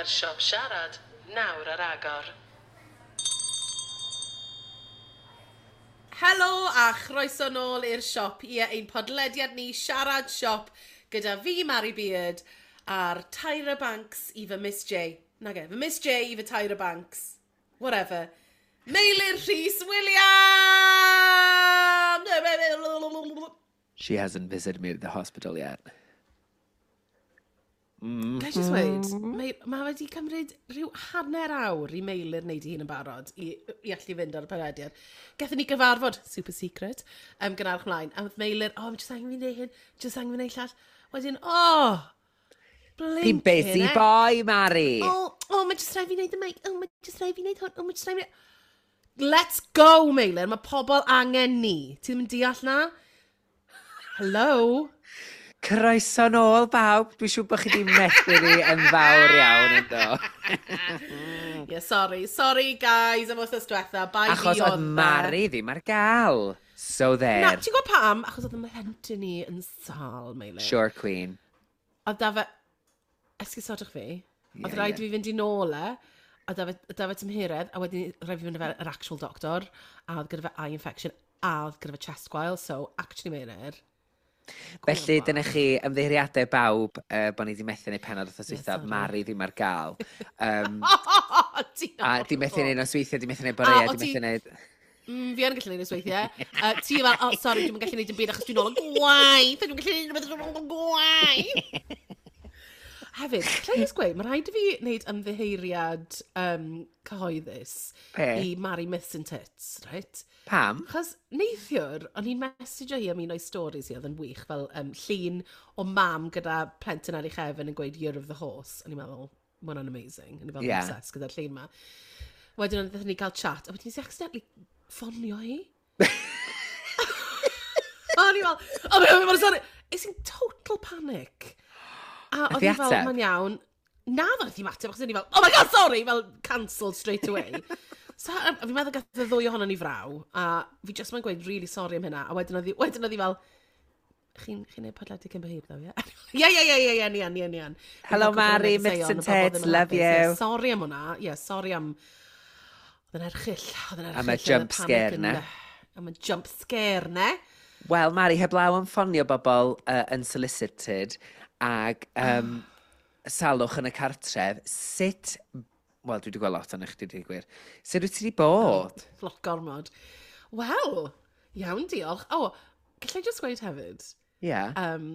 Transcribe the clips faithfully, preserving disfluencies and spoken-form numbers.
Podlediad Siop Siarad, nawr ar agor. Helo a chroeso nôl i'r siop. Ie, ein podlediad ni Siarad Siop gyda fi, Mari Beard, a'r Tyra Banks i fy Miss J. Nage, fy Miss J i fy Tyra Banks. Whatever. Meilir Rhys Williams! She hasn't visited me at the hospital yet. Mm. Ga i just weud, mae, mae wedi cymryd rhyw hanner awr i Meilir wneud ei hun yn barod i, i allu fynd ar y podlediad. Gathon ni gyfarfod, super secret, um, gynharach mlaen, a oedd Meilir, oh, just angen fi wneud hyn, just angen fi wneud llall. Wedyn, oh, Fi'n busy blinking boy, Mari. Oh, oh, mae just rhaid fi wneud y mic, oh, mae just rhaid fi wneud hwn, oh, mae just rhaid fi... Let's go, Meilir, mae pobl angen ni. Ti ddim yn deall na? Hello? Croeso nôl, bawb. Dwi'n siŵr bod chi wedi methu ni yn fawr iawn yn do. Yeah, sorry. Sorry, guys, am wythnos diwetha. Bai fi Achos oedd oedd e. Mari ddim ar gael. So there. Na, ti'n gwybod pam? Achos oedd y mhlentyn ni yn sâl, Meilir. Sure, Queen. Oedd da fe... Esgusodwch fi. Oedd Ie, rhaid ie. fi fynd i nôl e, a da fe, da fe tymheredd, a wedyn rhaid fi fynd efo'r actual doctor, a oedd gyda fe eye infection, a oedd gyda fe chest gwael, so actually Meilir. Felly, dyna chi ymddiheuriadau bawb uh, bod ni wedi methu neud pennod wythnos Ie, dwytha. sorry. Mari ddim ar gael. Um, Ti a di methu neud nosweithiau, di methu neud A, boreau, o di ti- methu neud... Mm, fi yn gallu neud nosweithiau. Uh, ti fel, oh, sorry, dwi'm yn gallu neud dim byd achos dwi'n ôl yn gwaith. Dwi'm yn gallu neud dim byd achos dwi'n ôl yn gwaith. Hefyd, lle i gweud, mae rhaid i fi wneud ymddiheuriad um, cyhoeddus Be? i Mari Myths and Tits, right? Pam? Achos neithiwr, o'n i'n messageo hi am un o'i stories hi, oedd yn wych, fel um, llun o mam gyda plentyn ar ei chefn yn gweud Year of the Horse. O'n i'n meddwl, ma hwnna'n amazing. O'n i'n fel Ie. yeah. obsessed gyda'r llun ma. Wedyn o'n ni cael chat, a wedyn nes i accidentally ffonio hi. O'n i fel, oh my god, my god, sorry. Es i'n total panic. A oedd Nath hi hi fel, ateb? mae'n iawn. Na, ddoth hi ateb, achos o'n i fel, oh my god, sorry, fel cancelled straight away. So, a fi'n meddwl gath y ddwy ohono ni fraw, a fi just mae'n gweud really sorry am hynna, a wedyn oedd hi, wedyn oedd hi fel, chi'n chi neud podlediad cyn bo hir, ddo, ie? Ie, ie, ie, ie, ie, ni yn, ni yn, ni yn. Hello, Fi'n cael cwpl o Mari, negeseuon Myths and o bobl ddim Tits, yn love hapus. Ie, you. Sorry am hwnna, ie, sorry am... Oedd yn erchyll, oedd yn erchyll. Am y oedd y jump panic scare yn- 'na. Am y jump scare ne. Wel, Mari, heblaw am ffonio bobl uh, unsolicited ag um, salwch yn y cartref, sut... Wel, dwi wedi gweld lot o'n eich dwi wedi gwir. Sut wyt ti wedi bod? Lot gormod. Wel, iawn, diolch. O, oh, gallai just gweud hefyd, Ie. Yeah. um,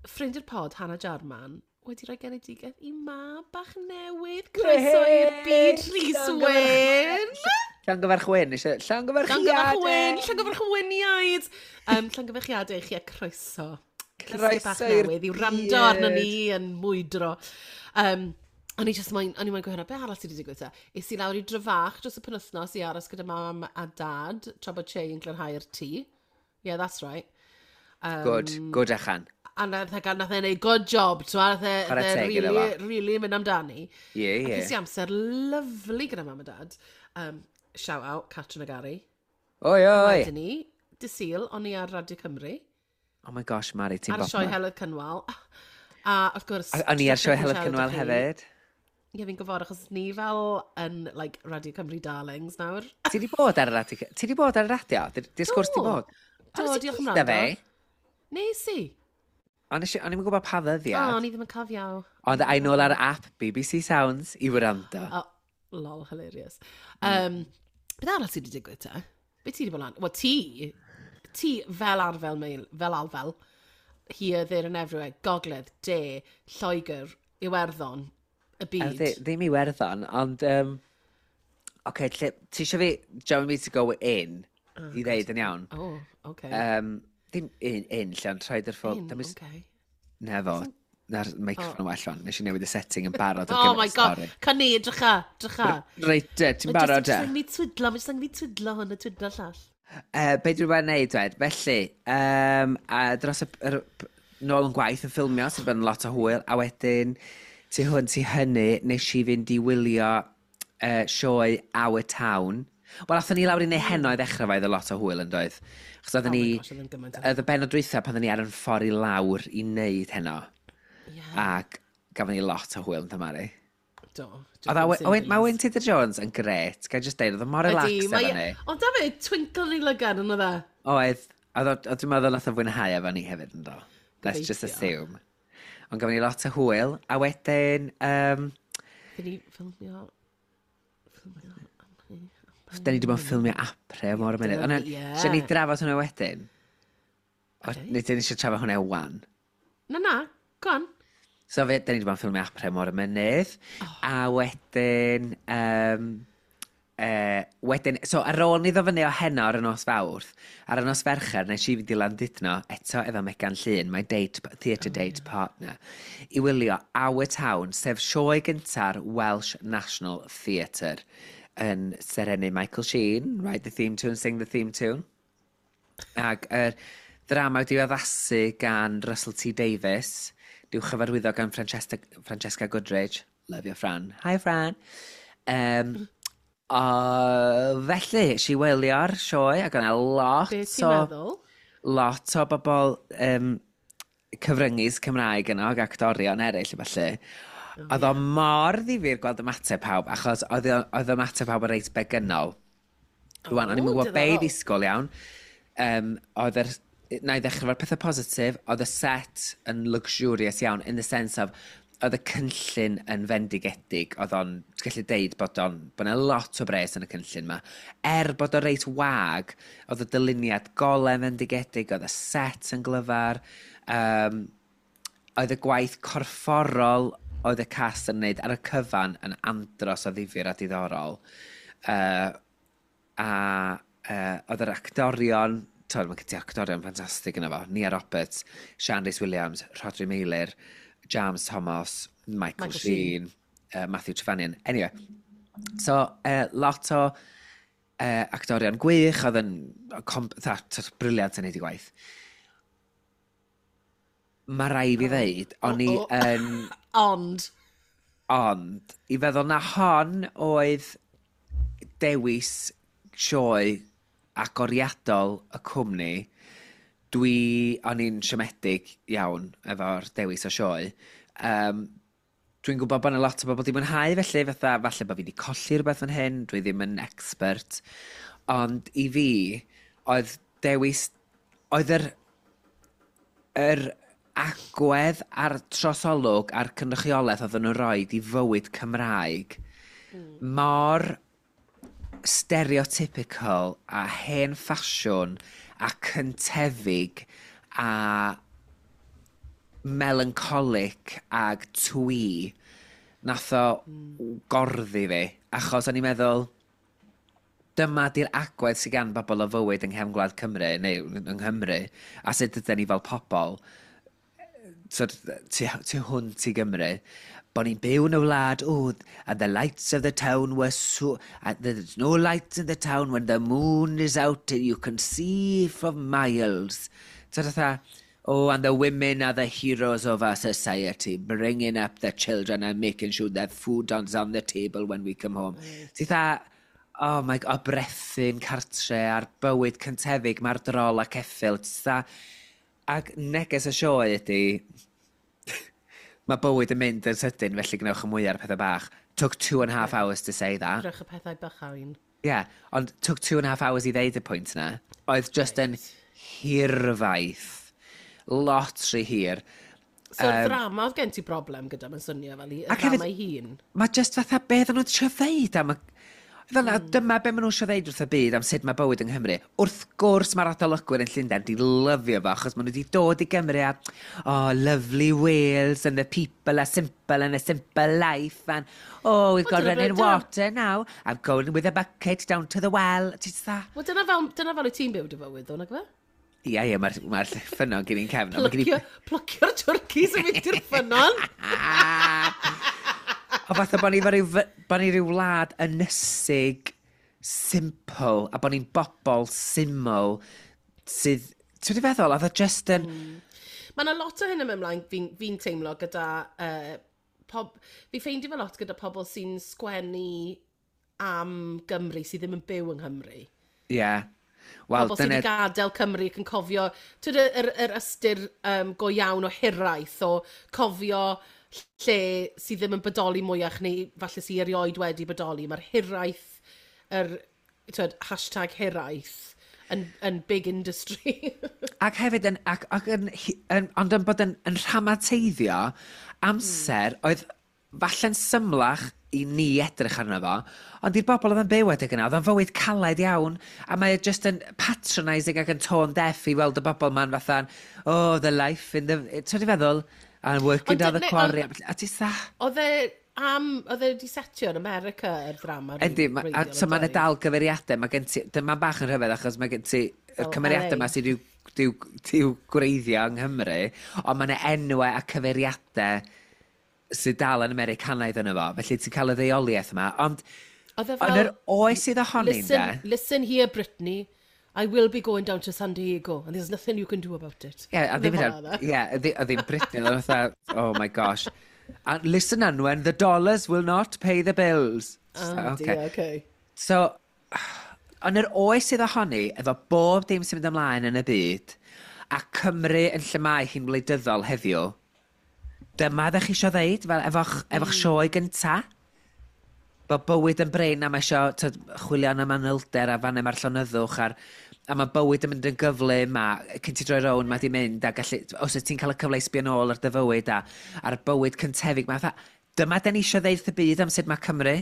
ffrind i'r pod, Hannah Jarman, wedi rhoi genedigaeth i mab bach newydd. Croeso i'r byd, Rhys Wyn. Llongyfarch Wyn, eisiau... Llongyfarch Wyn, Llongyfarchiadau! llongyfarch Wyniaid. Um, llongyfarchiadau i chi a croeso. Croeso bach Croeso i'r newydd i wrando arno byd. ni yn mwydro. Um, o'n i just moyn, o'n i moyn gweud hwnna, be arall sydd wedi digwydd te? Es i lawr i Dryfach dros y penwythnos i aros gyda mam a dad, tra bod Che yn glanhau'r tŷ. Yeah, that's right. Um, Good, good achan. A nath e, nath e neud good job, ti'n nath e, Chwarae nath e teg iddo really, fo. really mynd amdani. Ie, A ie. Ces i amser lyfli gyda mam a dad. Um, shout out, Catrin a Gary. Oi, oi! Wedyn ni, dy Sul, o'n i ar Radio Cymru, Oh my gosh, Mari, ti'n ar y sioe bobman. Heledd Cynwal. A wrth gwrs... A- O'n i ar sioe jyst Heledd siarad Cynwal â chi. hefyd. Ie, fi'n gwybod, achos ni fel yn, like, Radio Cymru Darlings nawr. Ti wedi bod ar y radio? Ti wedi bod ar y radio? Di'r sgwrs di Do. bod? Do, Ond nes i diolch am deutha wrando. fi. Nes i. Ond nes i- o'n i'm yn gwybod pa O, ddyddiad. o'n i ddim yn cofio. Ond ai nôl ar app B B C Sounds i wrando. Oh, lol, hilarious. Um, beth arall sydd wedi digwydd te? Be ti wedi bod lan? Wel, ti, ti fel arfel, meil, fel alfel, here, there and everywhere, Gogledd, De, Lloegr, Iwerddon, y A byd. ddi- Ddim Iwerddon, ond... Um, okay, lle, ti eisiau fi, do you want me to go in Oh, i ddeud yn iawn? Oh, okay. Um, ddim in, in, lle, ond rhaid yr ffordd... In, Dim okay. Na fo, na'r microffon yn well fan. Nes i newid y setting yn barod ar Oh gyfer my y god, stori. Cyn ni, drycha, drycha. Reit, te, ti'n barod Mae e? jyst angen fi twidlo, mae jyst angen fi twidlo hwn a twidlo llall. Uh, be dwi'n wedi wneud, dwed? Felly, um, a dros y, yr, nôl yn gwaith yn ffilmio, sydd wedi bod yn lot o hwyl, a wedyn, tu hwn, tu hynny, nes i fynd i wylio uh, sioe Our Town. Wel, athon ni lawr i neu heno i ddechrau fe, oedd y lot o hwyl yn doedd. Achos oedden Oh my ni, gosh, oedd yn gymaint o oedd y benod dwytha pan oedden ni ar yn ffordd i lawr i wneud heno. Yeah. Ac gafon ni lot o hwyl yn Mari. Do. Oedd o, mae Wyn Tudor Jones yn gret, ga i just deud, oedd o mor relaxed efo ni. Ond da fe, twinkle yn ei lygad yn oedd e. Oedd, oedd o- dwi'n meddwl nath o fwynhau efo ni hefyd yn do. Let's just assume. Ond gafon ni lot o hwyl, a wedyn, um, Fy ni ffilmio... Ffilmio... Da ni wedi bod yn ffilmio apre mor y munud. Ond Ie. eisiau ni drafod hwnna wedyn? O, Ocê. Neu dyn ni eisiau trafod hwnna wan? Na, na, go on. So fe, da ni wedi bod yn ffilmio apre mor y mynydd. Oh. A wedyn... Um, uh, wedyn, so ar ôl ni ddod fyny o heno ar y nos Fawrth, ar y nos Fercher, nes i fynd i Landudno eto efo Megan Llŷn, my date, theatre date partner, i wylio Our Town, sef sioe gynta'r Welsh National Theatre yn serennu Michael Sheen, write the theme tune, sing the theme tune. Ac yr ddrama wedi addasu gan Russell T Davies, di'w chyfarwyddo gan Francesca, Francesca Goodridge. Love your Fran. Hi Fran. Um, o, felly, si wylio'r sioe ac o'na lot Be ti'n o, meddwl? lot o bobl um, cyfryngis Cymraeg yno ac actorion eraill a felly. Oedd o mor ddifyr gweld ymateb pawb, achos oedd o- oedd ymateb pawb yn reit begynol. Rwan, o'n i'm yn O, gwybod be i diddorol. ddisgwyl iawn. Um, oedd yr, na i ddechrau efo'r pethau positif, oedd y set yn luxurious iawn, in the sense of, oedd y cynllun yn fendigedig, oedd o'n, ti'n gallu deud bod o'n, bod yna lot o bres yn y cynllun ma. Er bod o reit wag, oedd y dyluniad golau fendigedig, oedd y set yn glyfar, um, oedd y gwaith corfforol oedd y cast yn wneud ar y cyfan yn andros o ddifyr a diddorol. Uh, a uh, oedd yr actorion, twel, mae gen ti actorion ffantastig yna fo, Nia Roberts, Sian Rhys Williams, Rhodri Meilir, James Thomas, Michael, Michael Sheen, uh, Matthew Trevanion. Anyway, so uh, lot o uh, actorion gwych, oedd yn com- tha, tha, brilliant yn neud i gwaith. Mae rai fi ddeud, o'n i O, o. yn... Ond, Ond, i feddwl na hon oedd dewis sioe agoriadol y cwmni, dwi, o'n i'n siomedig iawn efo'r dewis o sioe. Um, dwi'n gwybod bod yna lot o bobl wedi mwynhau felly, fatha, falle bod fi wedi colli rhywbeth fan hyn, dwi ddim yn expert. Ond i fi, oedd dewis, oedd yr, yr agwedd a'r trosolwg a'r cynrychiolaeth oedden nhw'n rhoi i fywyd Cymraeg mor stereotypical a hen ffasiwn a cyntefig a melancholic ag twee nath o gorddi fi achos o'n i'n meddwl dyma di'r agwedd sydd gan bobl o fywyd yng nghefn gwlad Cymru neu yng Nghymru a sut ydyn ni fel pobl sort of, tu, tu hwnt i Gymru, bod ni'n byw yn y wlad, oh, and the lights of the town were so... And there's no lights in the town when the moon is out, you can see from miles. So fatha, oh, and the women are the heroes of our society, bringing up the children and making sure that food is on the table when we come home. Ti fatha, oh my god, o brethyn cartre a'r bywyd cyntefig, mae'r drol a ceffyl. Ti fatha, ac neges y sioe ydy, mae bywyd yn mynd yn sydyn, felly gwnewch y mwyaf ar pethau bach. Took two and a half hours to say that. Rhowch y pethau bychain. Yeah, ond took two and a half hours i ddeud y pwynt na. Oedd just yn hirfaith. Lot rhy hir. So, um, ddrama oedd gen ti broblem gyda, mae'n swnio fel i, y Ac hefyd- ddrama ei hun. Mae just fatha beth o'n nhw'n trio ddeud am y... Fel mm. dyma be maen nhw'n trio ddeud wrth y byd am sut mae bywyd yng Nghymru. Wrth gwrs mae'r adolygwyr yn Llundain di lyfio fo, achos maen nhw wedi dod i Gymru a, oh, lovely Wales, and the people are simple and a simple life, and, oh, we've got Wel, dyna be- running dyna- water now, I'm going with a bucket down to the well. Ti jyst fatha, Wel, dyna fel, dyna fel wyt ti'n byw dy fywyd, ddo, nag fe? Ie, ie, mae'r ma ffynnon gen i'n cefn. ond ma' gen i- Plycio, plycio'r twrcis yn mynd i'r ffynnon. O fatha bod ni fel ryw, fy- bod ni ryw wlad ynysig, simple, a bod ni'n bobl syml sydd... Ti'n wedi feddwl, oedd o just yn... Mm. Mae yna lot o hyn yn mynd ymlaen fi'n fi teimlo gyda... Uh, pob, fi ffeindio fe lot gyda pobl sy'n sgwennu am Gymru sydd ddim yn byw yng Nghymru. Ie. Yeah. Wel, Pobl sydd dyna... wedi gadael Cymru ac yn cofio, ti'n yr, yr ystyr um, go iawn o hiraeth, o cofio lle sydd ddim yn bodoli mwyach neu falle sydd erioed wedi bodoli. Mae'r hiraeth, yr, twyd, hashtag hiraeth yn, yn big industry. Ac hefyd, yn, ac, ac yn, yn, ond yn bod yn, yn rhamateiddio amser mm. oedd falle'n symlach i ni edrych arno fo, ond i'r bobl oedd yn byw adeg yna, oedd o'n fywyd caled iawn, a mae o just yn patronising ac yn tone deaf i weld y bobl ma'n fatha, "Oh, the life in the." Ti'n feddwl, and working down the quarry, a ti sa. Oedd e am, oedd e wedi setio yn America yr ddrama? Yndi, ma, a, so mae'n dal gyfeiriadau, mae gen ti, dyma'n bach yn rhyfedd achos mae gen ti y cymeriadau yma sydd i'w, i'w gwreiddio yng Nghymru, ond mae yna enwau a cyfeiriadau sydd dal yn Americanaidd yno fo, felly ti'n cael y ddeuoliaeth yma, ond oedd e fel, yn yr oes sydd ohoni, "Listen, listen here, Brittany, I will be going down to San Diego, and there's nothing you can do about it." Ie, a ddim, ie, a ddim Britney, oedd fatha, "Oh my gosh. And listen, Anwen, the dollars will not pay the bills." Oh, okay. Dear, okay. So, yn yr oes sydd ohoni, efo bob dim sy'n mynd ymlaen yn y byd, a Cymru yn lle mae hi'n wleidyddol heddiw, dyma ddech chi eisiau ddeud, fel efo'ch, efo'ch mm. sioe gynta? Bod bywyd yn brin a mae eisiau chwilio am y manylder a fan mae'r llonyddwch a'r, a mae bywyd yn mynd yn gyflym a cyn ti droi rownd mae di mynd a gallu, os wyt ti'n cael y cyfle i sbio nôl ar dy fywyd a a'r bywyd cyntefig, mae fatha, dyma den ni eisiau ddeud wrth y byd am sut mae Cymru.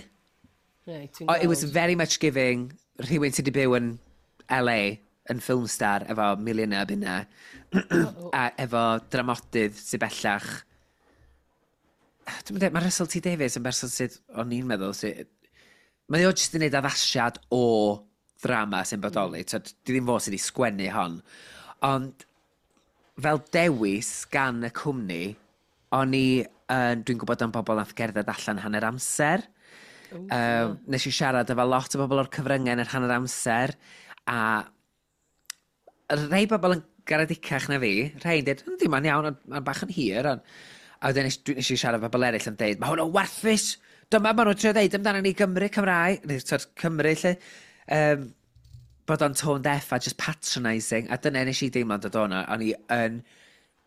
Right, oh, it was very much giving rhywun sydd wedi byw yn L A yn film star efo miliynau o bunna a efo dramodydd sydd bellach. Dwi'n meddwl, mae Russell T Davies yn berson sydd, o'n i'n meddwl, sydd. Mae o jyst yn gwneud addasiad o ddrama sy'n bodoli. Mm. Di ddim fo sydd wedi sgwennu hon. Ond fel dewis gan y cwmni, o'n i, uh, dwi'n gwybod am bobl nath gerdded allan hanner amser. Ooh, Um, nes i siarad efo lot o bobl o'r cyfryngau yn yr hanner amser, a rhai bobl yn garedicach na fi, rhai'n dweud, "Yndi, mae'n iawn, ond mae'n bach yn hir," ond a wedyn nes, dwi- nes i siarad efo bobl eraill yn deud, "Mae hwn yn warthus, dyma maen nhw'n trio deud amdano ni Gymru Cymraeg," neu tyd, Cymru, lle, um, bod o'n tone deaf a just patronising, a dyna nes i deimlo'n dod o'na, o'n i yn,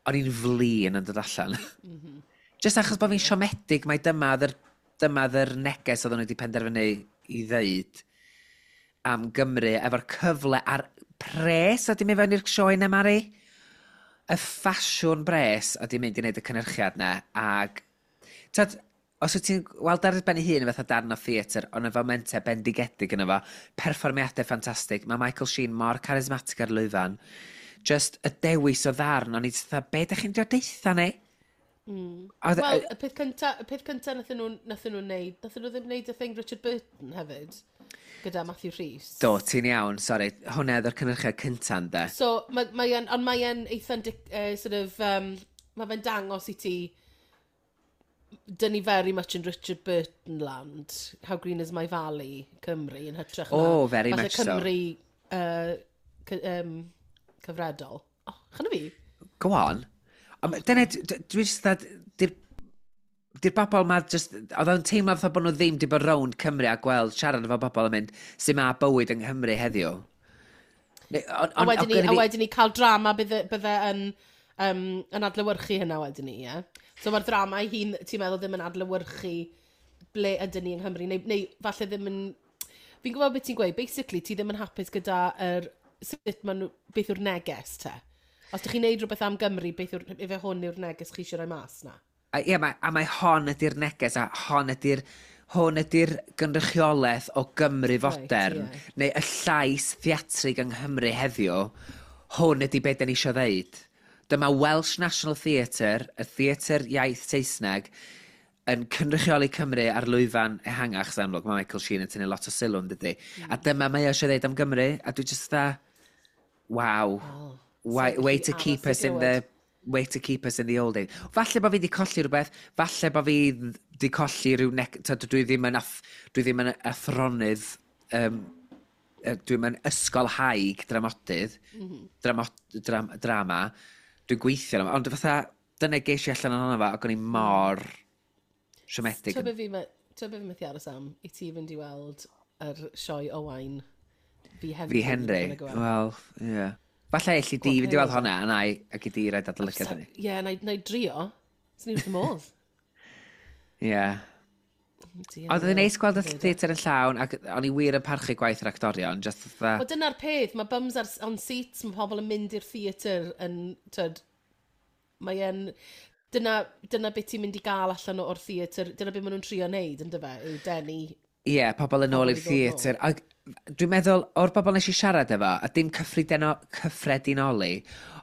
o'n i'n flin yn dod allan. Mm -hmm. Just achos bod fi'n siomedig mai dyma oedd yr, dyma oedd yr neges oedden nhw wedi penderfynu i ddeud am Gymru efo'r cyfle a'r pres a di mynd fewn i'r sioe na, Mari. Y ffasiwn bres a di mynd i wneud y cynhyrchiad na ag tyd, os wyt ti'n weld ar ben ei hun fatha darn o theatr, ond efo momentau bendigedig yna fo, perfformiadau ffantastig, mae Michael Sheen mor charismatic ar lwyfan, just y dewis o ddarn, o'n i just fatha, be ydych chi'n dod deitha ni? Mm. Oedd- Wel, y peth cynta, y peth cynta nathyn nhw, nathyn nhw neud, nathyn nhw ddim neud y thing Richard Burton hefyd, gyda Matthew Rhys. Do, ti'n iawn, sori, hwnna oedd yr cynhyrchiad cynta, ynde? So, mae mae e'n, ond mae e'n eitha, uh, sort of, um, mae fe'n dangos i ti, dyn ni very much in Richard Burton land, How Green Is My Valley, Cymru, yn hytrach na Oh, very falle much so. Cymru uh, cy, um, cyfredol. Oh, chana fi? Go on. Ond dyna, d- d- dwi just dda, di'r di'r bobl ma just, oedd o'n teimlo fatha bod nhw ddim di bod rownd Cymru a gweld siarad efo bobl yn mynd sy'n ma bywyd yng Nghymru heddiw. Neu- on- A on- wedyn ni, ond a gynna fi- wedyn ni cael drama bydde, bydde yn, um, yn adlewyrchu hynna wedyn ni, ie? So mae'r drama ei hun, ti'n meddwl, ddim yn adlewyrchu ble ydyn ni yng Nghymru, neu, neu falle ddim yn. Fi'n gwybod beth ti'n gweud, basically ti ddim yn hapus gyda yr, sut ma nhw, beth yw'r neges te. Os ydych chi'n neud rhywbeth am Gymru, beth yw'r, ife hwn yw'r neges chi eisiau rhoi mas na? A, ie, mae, a mae hon ydy'r neges, a hon ydy'r hwn ydy'r gynrychiolaeth o Gymru fodern, Right, ie. neu y llais theatrig yng Nghymru heddiw, hwn ydy beth da ni eisiau ddeud. Dyma Welsh National Theatre, y theatr iaith Saesneg, yn cynrychioli Cymru ar lwyfan ehangach, sy'n amlwg, mae Michael Sheen yn tynnu lot o sylw, yn dydy. Mm. A dyma mae o eisiau ddeud am Gymru, a dwi just dda, wow. Oh, Way, way to keep us in the way to keep us in the old age. Falle bod fi wedi colli rhywbeth, falle bod fi wedi colli rhyw nec... Tyd, dwi ddim yn, ath, dwi ddim yn athronydd, um, dwi'n yn ysgolhaig dramodydd, mm -hmm. dramot, dram, drama, dwi'n gweithio arno fo, ond fatha, dyna ges i allan ohono fo, ac o'n i mor siomedig. Ti'n be fi, me- ti'n be fi methu aros am i ti fynd i weld yr sioe Owain Fi Henry. Fi Henry, wel, ie. Yeah. Falle elli di fynd i weld hwnna, a na i, ac i di roed adolygiad hynny. Ie, na i- na i drio. Swn i wrth y modd. Ie. Oedd yn neis gweld y theatr yn llawn, ac o'n i wir yn parchu gwaith yr actorion, just fatha. Wel, dyna'r peth, mae bums ar, on seats, mae pobl yn mynd i'r theatr yn, tyd, mae e'n, dyna, dyna beth ti'n mynd i gael allan o'r theatr, dyna beth maen nhw'n trio wneud, yn dyfe, yw denu. Ie, yeah, pobl yn ôl i'r theatr. Ac dwi'n meddwl, o'r bobl nes i siarad efo, a dim cyffredino, cyffredinoli,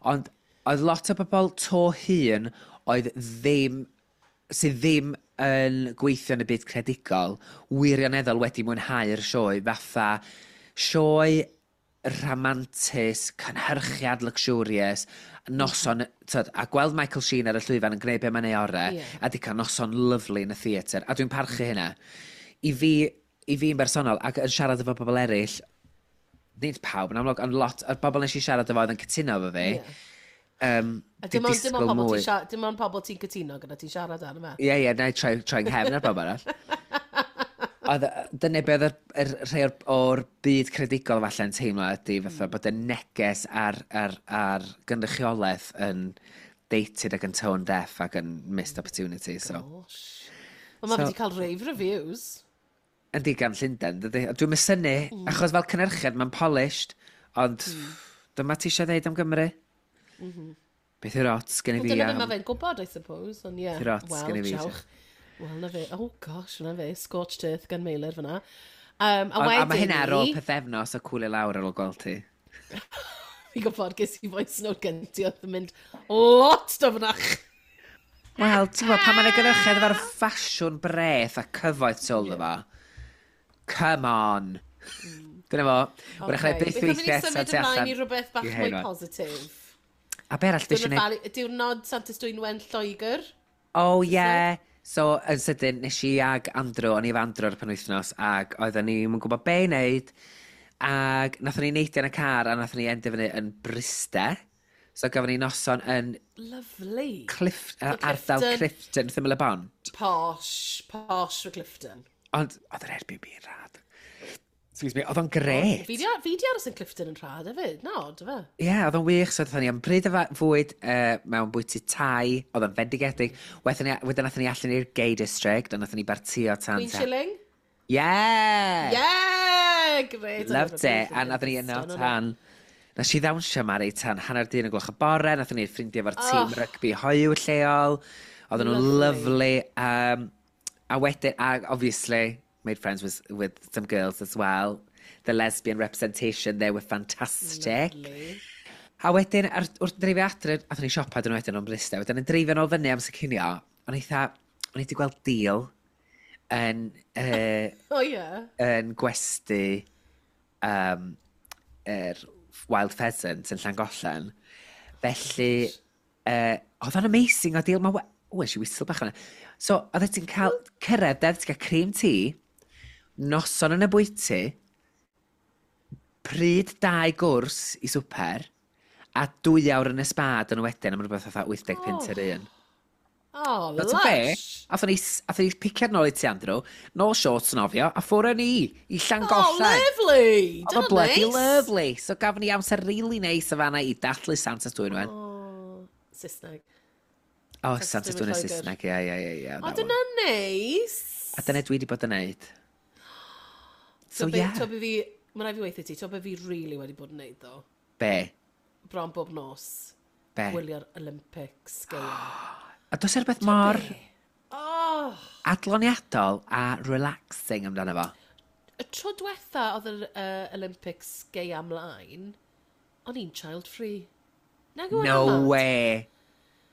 ond oedd lot o bobl to hŷn oedd ddim, sydd ddim yn gweithio yn y byd creadigol, wirioneddol wedi mwynhau'r sioe, fatha sioe rhamantus, cynhyrchiad luxurious, noson, tyd, a gweld Michael Sheen ar y llwyfan yn gwneud be mae'n ei orau, yeah. a di cael noson lyfli yn y theatr, a dwi'n parchu hynna. I fi, i fi'n bersonol, ac yn siarad efo bobl eraill, nid pawb yn amlwg, ond lot o'r bobl nes i siarad efo oedd yn cytuno efo fi, yeah. Um, a dim ond dim ond pobl ti'n dim ond pobl ti'n cytuno gyda ti'n siarad ar yma. Ie, ie, na i troi, troi nghefn ar bobl arall. Oedd, dyna be oedd yr, yr rhai o'r, o'r byd creadigol falle'n teimlo ydy fatha mm. bod y neges ar, ar, ar gynrychiolaeth yn dated ac yn tone deaf ac yn missed opportunity. So. Gosh. Wel, mae so, wedi cael rave reviews. Yndi gan Llundain, dydy. Dwi'n mysynnu, mm. achos fel cynhyrchiad mae'n polished, ond mm. dyma ti eisiau dweud am Gymru. Mm -hmm. Beth yw'r ots gen i fi am. Dyna beth mae fe'n gwybod, I suppose. Ond ie. Beth yw'r ots gen i fi. Wel, Wel, na fe. Oh gosh, na fe. Scorched earth gan Meilir fyna. Um, a, wedyn a mae hynna ar ôl pethefnos o cwlio lawr ar ôl gweld ti. Fi'n gwybod, ges i voice note gen ti oedd yn mynd lot dyfnach. Wel, ti'n gwybod, pan mae'n gynhyrchiad efo'r ffasiwn breth a cyfoeth tu ôl yeah. Come on. Mm. Dyna fo. Wrach okay. byth weithio eto tu allan. Symud ymlaen i rhywbeth bach mwy positif. A be arall dwi eisiau gwneud? Diwrnod Santes Dwynwen Lloegr. Oh, yeah. So, yn sydyn, nes i ag Andrew, o'n i efo Andrew ar y penwythnos, ac oedden ni'n gwybod be i wneud, ac nathon ni neidio yn y car, a nathon ni endio fyny yn Bryste. So, gafon ni noson yn Lovely. Cliff, uh, ardal Clifton, wrth ymyl y bont. Posh, posh for Clifton. Ond, oedd yr Airbnb yn rhad. Excuse me, oedd o'n gret. Fi di, fi di aros yn Clifton yn rhad hefyd, no, dy fe? Ie, yeah, oedd o'n wych. So, oedden ni am bryd o fwyd uh, mewn bwyty Thai, oedd o'n fendigedig. Wedyn, ni, wedyn nathon ni allan i'r gay district, ond nathon ni bartio tan... Queen Shilling? Yeah! Yeah! Great. Loved it. A nathon ni yno tan. Nes i ddawnsio Mari tan hanner dyn y gloch y bore, nathon ni ffrindiau efo'r tîm oh. rygbi hoyw lleol. Oedden nhw'n lovely. Um, a wedyn, a obviously, made friends with, with some girls as well. The lesbian representation there were fantastic. Lovely. A wedyn, ar, wrth dreifio adre, athon ni siopa dyn nhw wedyn o'n Bryste, wedyn yn dreifio nôl fyny am cinio, o'n eitha, o'n i wedi gweld deal yn, uh, oh, yeah. yn gwesty um, er Wild Pheasant yn Llangollen. Felly, uh, oedd o'n amazing o deal. Mae, o, es i whistle bach yna. So, oedd ti'n cael cyrraedd, dedd, ti'n cael cream tea, noson yn y bwyty, pryd dau gwrs i swper, a dwy awr yn y spa dyn nhw wedyn am rhywbeth fatha wyth deg punt yr un. Oh, lush. Be? Athon ni, athon ni piciad nôl i ti, Andrew, nôl shorts nofio, a ffwrdd ni i Llangollen. Oh, lovely! Oedd o bloody nice. Lovely. So gafon ni amser really nice o fanna i dathlu Santes Dwynwen. Oh, Saesneg. Oh, Santes Dwynwen Saesneg, ie, ie, ie. ie. O, dyna neis. A dyna dwi wedi bod yn neud. So, so yeah. To be fi, mae'n rhaid fi weithio ti, to be fi really wedi bod yn neud, ddo. Be? Bron bob nos. Be? Gwylio'r Olympics gaeaf. A does e rhywbeth mor oh. adloniadol a relaxing amdano fo? Y tro diwetha oedd yr uh, Olympics gaeaf ymlaen, o'n i'n child free. Nag yw No way.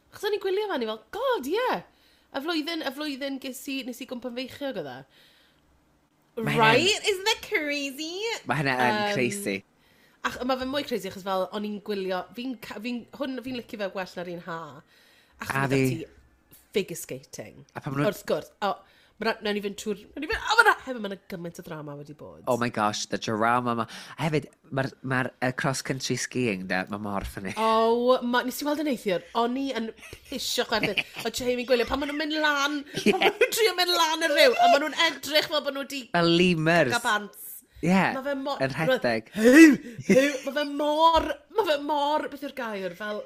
Achos o'n i'n gwylio fan i fel, God, yeah. Y flwyddyn, y flwyddyn ges i, nes i gwmpa'n feichiog oedd e. Right? Isn't that crazy? Mae hynna yn um, crazy. Ach, mae fe mwy crazy achos fel o'n i'n gwylio, fi'n, fi hwn fi'n licio fe gwell na'r un ha. Achos A mae fi. ti figure skating. A pan ma' nhw- Wrth gwrs. O, ma' na, nawn ni fynd trwy'r, nawn ni fynd, o, ma' na, hefyd ma' na gymaint o drama wedi bod. Oh my gosh, the drama ma. A hefyd, mae'r ma uh, cross-country skiing, da, mae mor ffynnu. Oh, ma, nes i weld yn neithiwr, o'n i yn pisio chwerthin. O Jamie gwylio, pan maen nhw'n mynd lan, pan maen nhw'n trio mynd lan y rhyw, a maen nhw'n edrych fel bod nhw wedi Fel lemurs. cael pants. Yeah, Ma' fe mor yn rhedeg. Mae fe mor, mae fe mor, beth yw'r gair, fel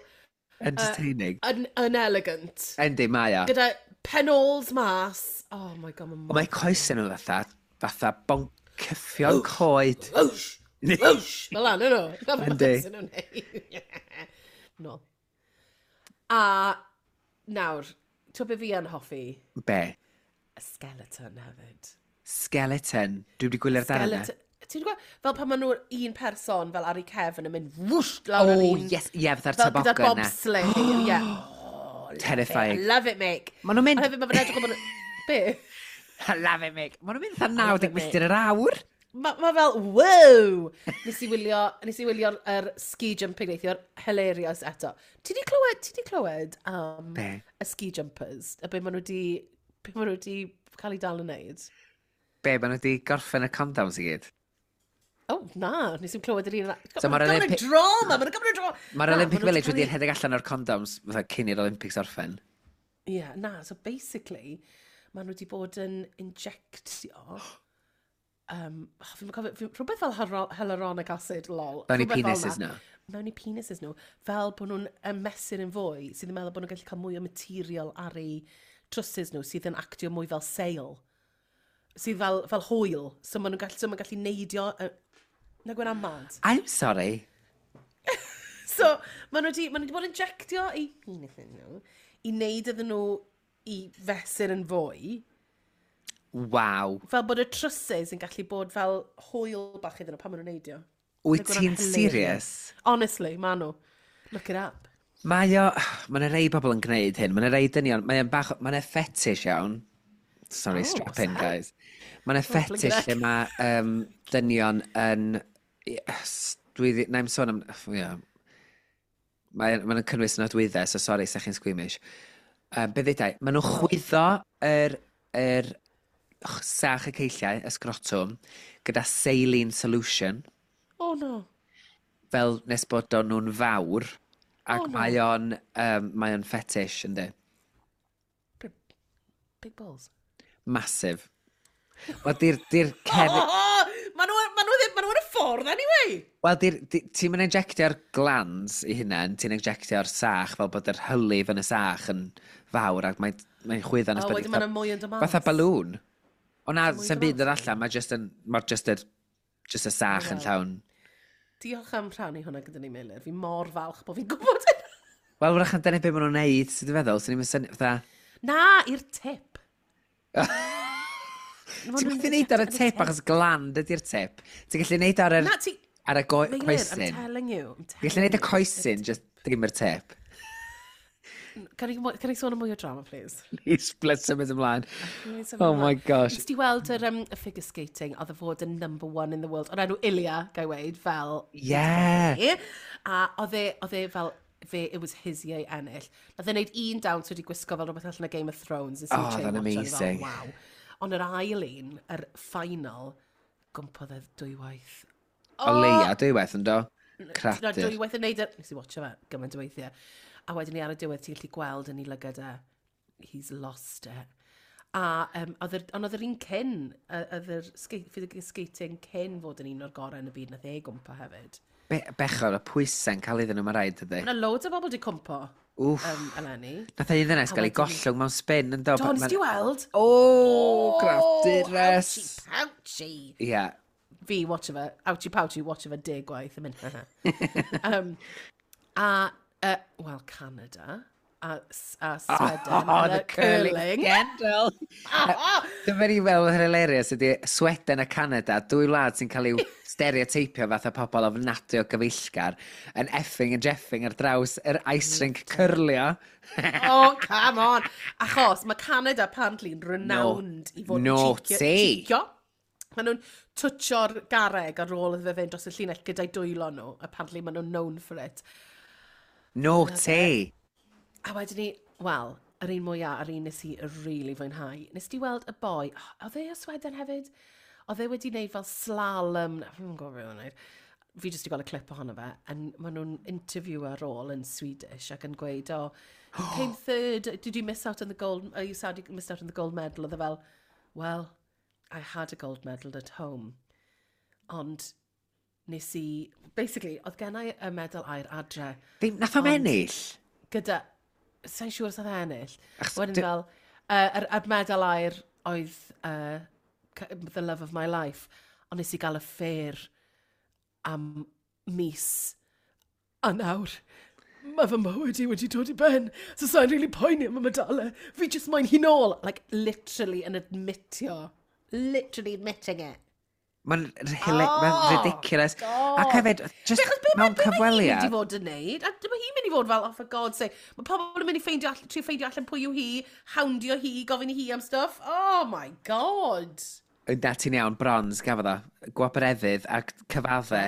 Entertaining. yn, yn elegant. Yndi, mae o. Gyda Penols mas. Oh my God, mae'n... Mae coesau nhw fatha, fatha boncyffion coed. Whoosh! Whoosh! Fel lan, nhw. Yndi. No. A nawr, ti'n be fi yn hoffi? Be? Y skeleton hefyd. Skeleton. Dwi wedi gwylio'r darn yna. Ti'n gwybod, fel pan maen nhw'n un person fel ar ei cefn yn mynd whoosh lawr ar oh, un... yes, ie, yeah, fatha'r toboggan yna. Fel gyda'r bobsleigh, ie. Oh, Terrifying. I love it, mate. Maen nhw'n mynd... A hefyd, mae fe'n edrych o bod... Be? I love it, mate. Maen nhw'n mynd fatha naw deg milltir yr awr. Mae ma fel, wow! Nes i wylio, nes i wylio'r er ski jumping neithiwr, hilarious eto. Ti di clywed, ti di clywed am um, y ski jumpers? A be maen nhw di, be maen nhw di cael ei dal yn neud? Be, maen nhw di gorffen y condoms i gyd? Oh, na, nes i'n clywed yr un. So mae'r Olympic... drama, mae'n gymaint o drama. Mae'r Olympic Village wedi rhedeg allan o'r condoms fatha cyn i'r Olympics orffen. Ie, yeah, na, so basically, maen nhw wedi bod yn injectio... Um, oh, fi'n cofio, fi, rhywbeth fel hyaluronic acid, lol. Mewn i penises nhw. Mewn i penises nhw. Fel bod nhw'n ymesur yn fwy, sydd yn meddwl bod nhw'n gallu cael mwy o material ar eu trwsus nhw, sydd yn actio mwy fel sail. Sydd fel, fel hwyl. So maen nhw'n gallu, so maen gallu neidio... Uh, na gwen am mad. I'm sorry. So, maen nhw wedi, maen nhw wedi bod yn injectio eu penises nhw i wneud iddyn nhw i fesur yn fwy. Waw. Fel bod y trwsus yn gallu bod fel hwyl bach iddyn nhw pan maen nhw'n neidio. Wyt ti'n serious? Honestly, maen nhw. Look it up. Mae o... Mae yna rei bobl yn gwneud hyn. Mae yna rei dynion. Mae o'n bach... Mae yna fetish iawn. Sorry, oh, strap in, guys. Mae yna fetish lle mae um, dynion yn... Dwi... Na i'm sôn am... Yeah. Mae'n mae cynnwys nodwyddau, so sorry, sa chi'n squeamish. Um, be ddedai? Maen nhw'n chwyddo yr, yr sach y ceilliau, y sgrotwm, gyda saline solution. Oh no. Fel nes bod o'n nhw'n fawr, ac Oh, no. mae o'n, um, mae o'n fetish, yndi. Big, big balls. Massive. Wel, di'r di'r cefn... Oh, oh, ma nhw, ma nhw ddim, ma nhw yn y ffordd anyway. Wel, di'r, di, ti'n mynd injectio'r glands i hunain, ti'n injectio'r sach fel bod yr hylif yn y sach yn fawr ac mae'n mae chwyddo nes Oh, bod wedyn ma' 'na mwy yn dod mas. Fatha balŵn. O na, Mwy yn sy'n dod byd yn mas. allan, mae just yn, mae just yr, just y sach yn Wel. llawn. Diolch am rhannu hwnna gyda ni, Meilir. Fi mor falch bod fi'n gwybod hynna. Wel, wrach yn dyna beth maen nhw'n neud, sydd yn feddwl, sy'n ni'n syni, fatha... Na, i'r tip. Ti'n gallu neud ar y tip, achos gland ydy'r tip. Ti'n gallu neud ar yr, Na, ti... ar y go- Meilir, I'm coesyn. telling you. I'm Ti'n gallu neud y telling you. coesyn, just ddim yr tip. Can I, can I sôn am mwy o drama, please? Please, let's symud ymlaen. Can I symud Oh my ymlaen? gosh. Nes ti weld yr um, y figure skating, oedd y fod yn number one in the world, o'r enw Ilia, gai weud, fel... Yeah. A oedd e, oedd e fel, fe, it was his year i ennill. Nath e wneud un dawns wedi gwisgo fel rhywbeth allan o Game of Thrones. Nes i Oh, chain oedd o'n watch, o'n i fel, amazing. Wow. Ond yr ail un, yr final, gwmpodd e dwywaith. O leia, dwywaith yn do? Na, Cradur. dwywaith yn neud e. Nes i watcho fe gymaint o weithiau. A wedyn ni ar y diwedd ti'n gallu gweld yn ei lygad e. He's lost it. A, um, oedd yr, ond oedd yr un cyn, yy, oedd yr skate, figure skating cyn fod yn un o'r gorau yn y byd, nath e gwmpa hefyd. Be bechod, y pwysau'n cael iddyn nhw, mae rhaid, ydy. Mae yna loads o bobl wedi cwmpo Wff. um, eleni. Nath e un ddynes A gael ei wedyn- gollwng mewn spin yn do. Do, nes ti weld? O, grafdures. Ouchie pouchy. Ie. Fi, watch fe, ouchie pouchy, watch fe deg gwaith yn mynd. um, a, uh, well, Canada, a, S- a Sweden, Oh, yn the y curling scandal. Dyma ni fel hilarious ydy Sweden a Canada, dwy wlad sy'n cael eu stereoteipio fatha pobl ofnadwy o gyfeillgar, yn effing and jeffing ar draws yr ice rink cyrlio. Oh, come on. Achos mae Canada apparently yn renowned i fod yn Naughty. cheecio. cheecio. Maen nhw'n twtsio'r garreg ar ôl iddo fe fynd dros y llinell gyda'i dwylo nhw. Apparently maen nhw'n known for it. Naughty. A wedyn ni, wel, yr un mwyaf, yr un nes i really fwynhau. Nes ti weld y boi, oh, oedd e o Sweden hefyd? Oedd e wedi wneud fel slalom, na, fi'n gwybod beth oedd e'n wneud. Fi jyst wedi gweld y clip ohono fe, and maen nhw'n interview ar ôl yn Swedish ac yn gweud, oh, you came third, did you miss out on the gold, are you sad you missed out on the gold medal? Oedd e fel, well, I had a gold medal at home. Ond nes i, basically, oedd gennau y medal aur adre Ddim, nath o'm ennill. gyda, sa'n siŵr os oedd e ennill. Achos Wedyn dy- fel, Uh, yr, yr medal aur oedd uh, the love of my life. Ond nes i gael affair am mis. A nawr, mae fy mywyd i wedi dod i ben. So sa'n really poeni am y medalau. Fi just moyn hi nôl. Like, literally yn admitio. Literally admitting it. Mae'n oh, ma ridiculous. God. Ac hefyd, just Achos be mewn mae be mae hi'n mynd i cyfweliad. fod yn neud? A dyma hi'n mynd i fod fel, oh, for God's sake. Mae pobl yn mynd i ffeindio allan, trio ffeindio allan pwy yw hi, houndio hi, gofyn i hi am stuff. Oh my God. Na, ti'n iawn, bronze gafodd o. Gwobr efydd ac cyfadde.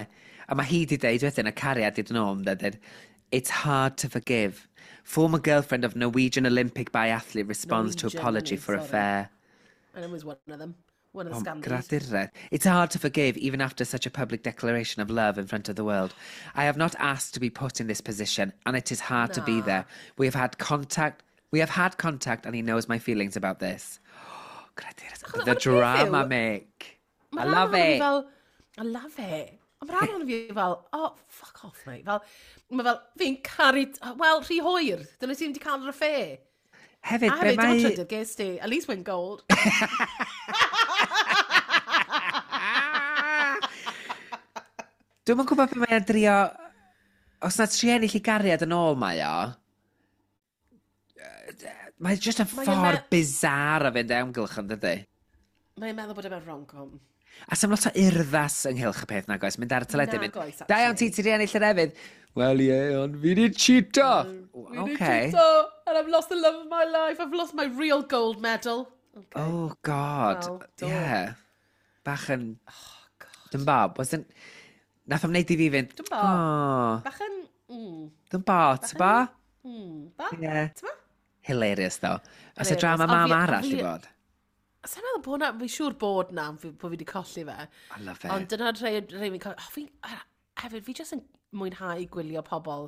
A mae hi di deud wedyn, y cariad i dod yn ôl, yn dweud, "It's hard to forgive. Former girlfriend of Norwegian Olympic biathlete responds to Norwegian, apology innit? for Sorry. affair." And it was one of them. One of the Oh, scandals. Gradured. "It's hard to forgive even after such a public declaration of love in front of the world. I have not asked to be put in this position and it is hard to be Na. there. We have had contact. We have had contact and he knows my feelings about this." Gradured. Achos- The ond y peth drama, yw- Mick. Ma' I rhan love ohono fi it. Fel, I love it. Ond mae rhan ohono fi fel, "Oh, fuck off, mate." Fel, mae fel, fi'n caru, wel, rhy hwyr. Dyna ti'n wedi cael yr affair. Hefyd, A be hefyd, dim ond mae trydydd ges ti. At least win gold. Dwi'm yn gwybod be mae'n drio. Os na tri ennill i gariad yn ôl mae o. Mae'n just yn Mae o'n ffordd me- bizarre o fynd amgylch yn dydy. Mae'n meddwl bod e mewn rom-com. A sa'm lot o urddas ynghylch y peth nag oes, mynd ar y teledu, mynd, Nag oes, "Da iawn ti, actually. ti di ennill yr efydd." "Wel ie, ond fi di cheato." Mm, Fi 'di Okay. cheato, and I've lost the love of my life. I've lost my real gold medal. Okay. Oh, God. Wel, do. Yeah. Bach yn. Oh, God. Dyn bob. Wasn't. Nath o'm neud i fi fynd, Dyn bo. "Oh, Bach yn... Mm, dyn bo, ty bo?" mm, ba? Yeah. T'mo? Hilarious, though. Os y Hilarious. drama Ond mam fi- arall fi- i fod. Sa'n meddwl bod na, fi'n siŵr bod na, fi- bod fi wedi colli fe. I love it. Ond dyna'r rhai, rhai fi'n colli. Oh, fi, a- hefyd, fi jyst yn mwynhau gwylio pobl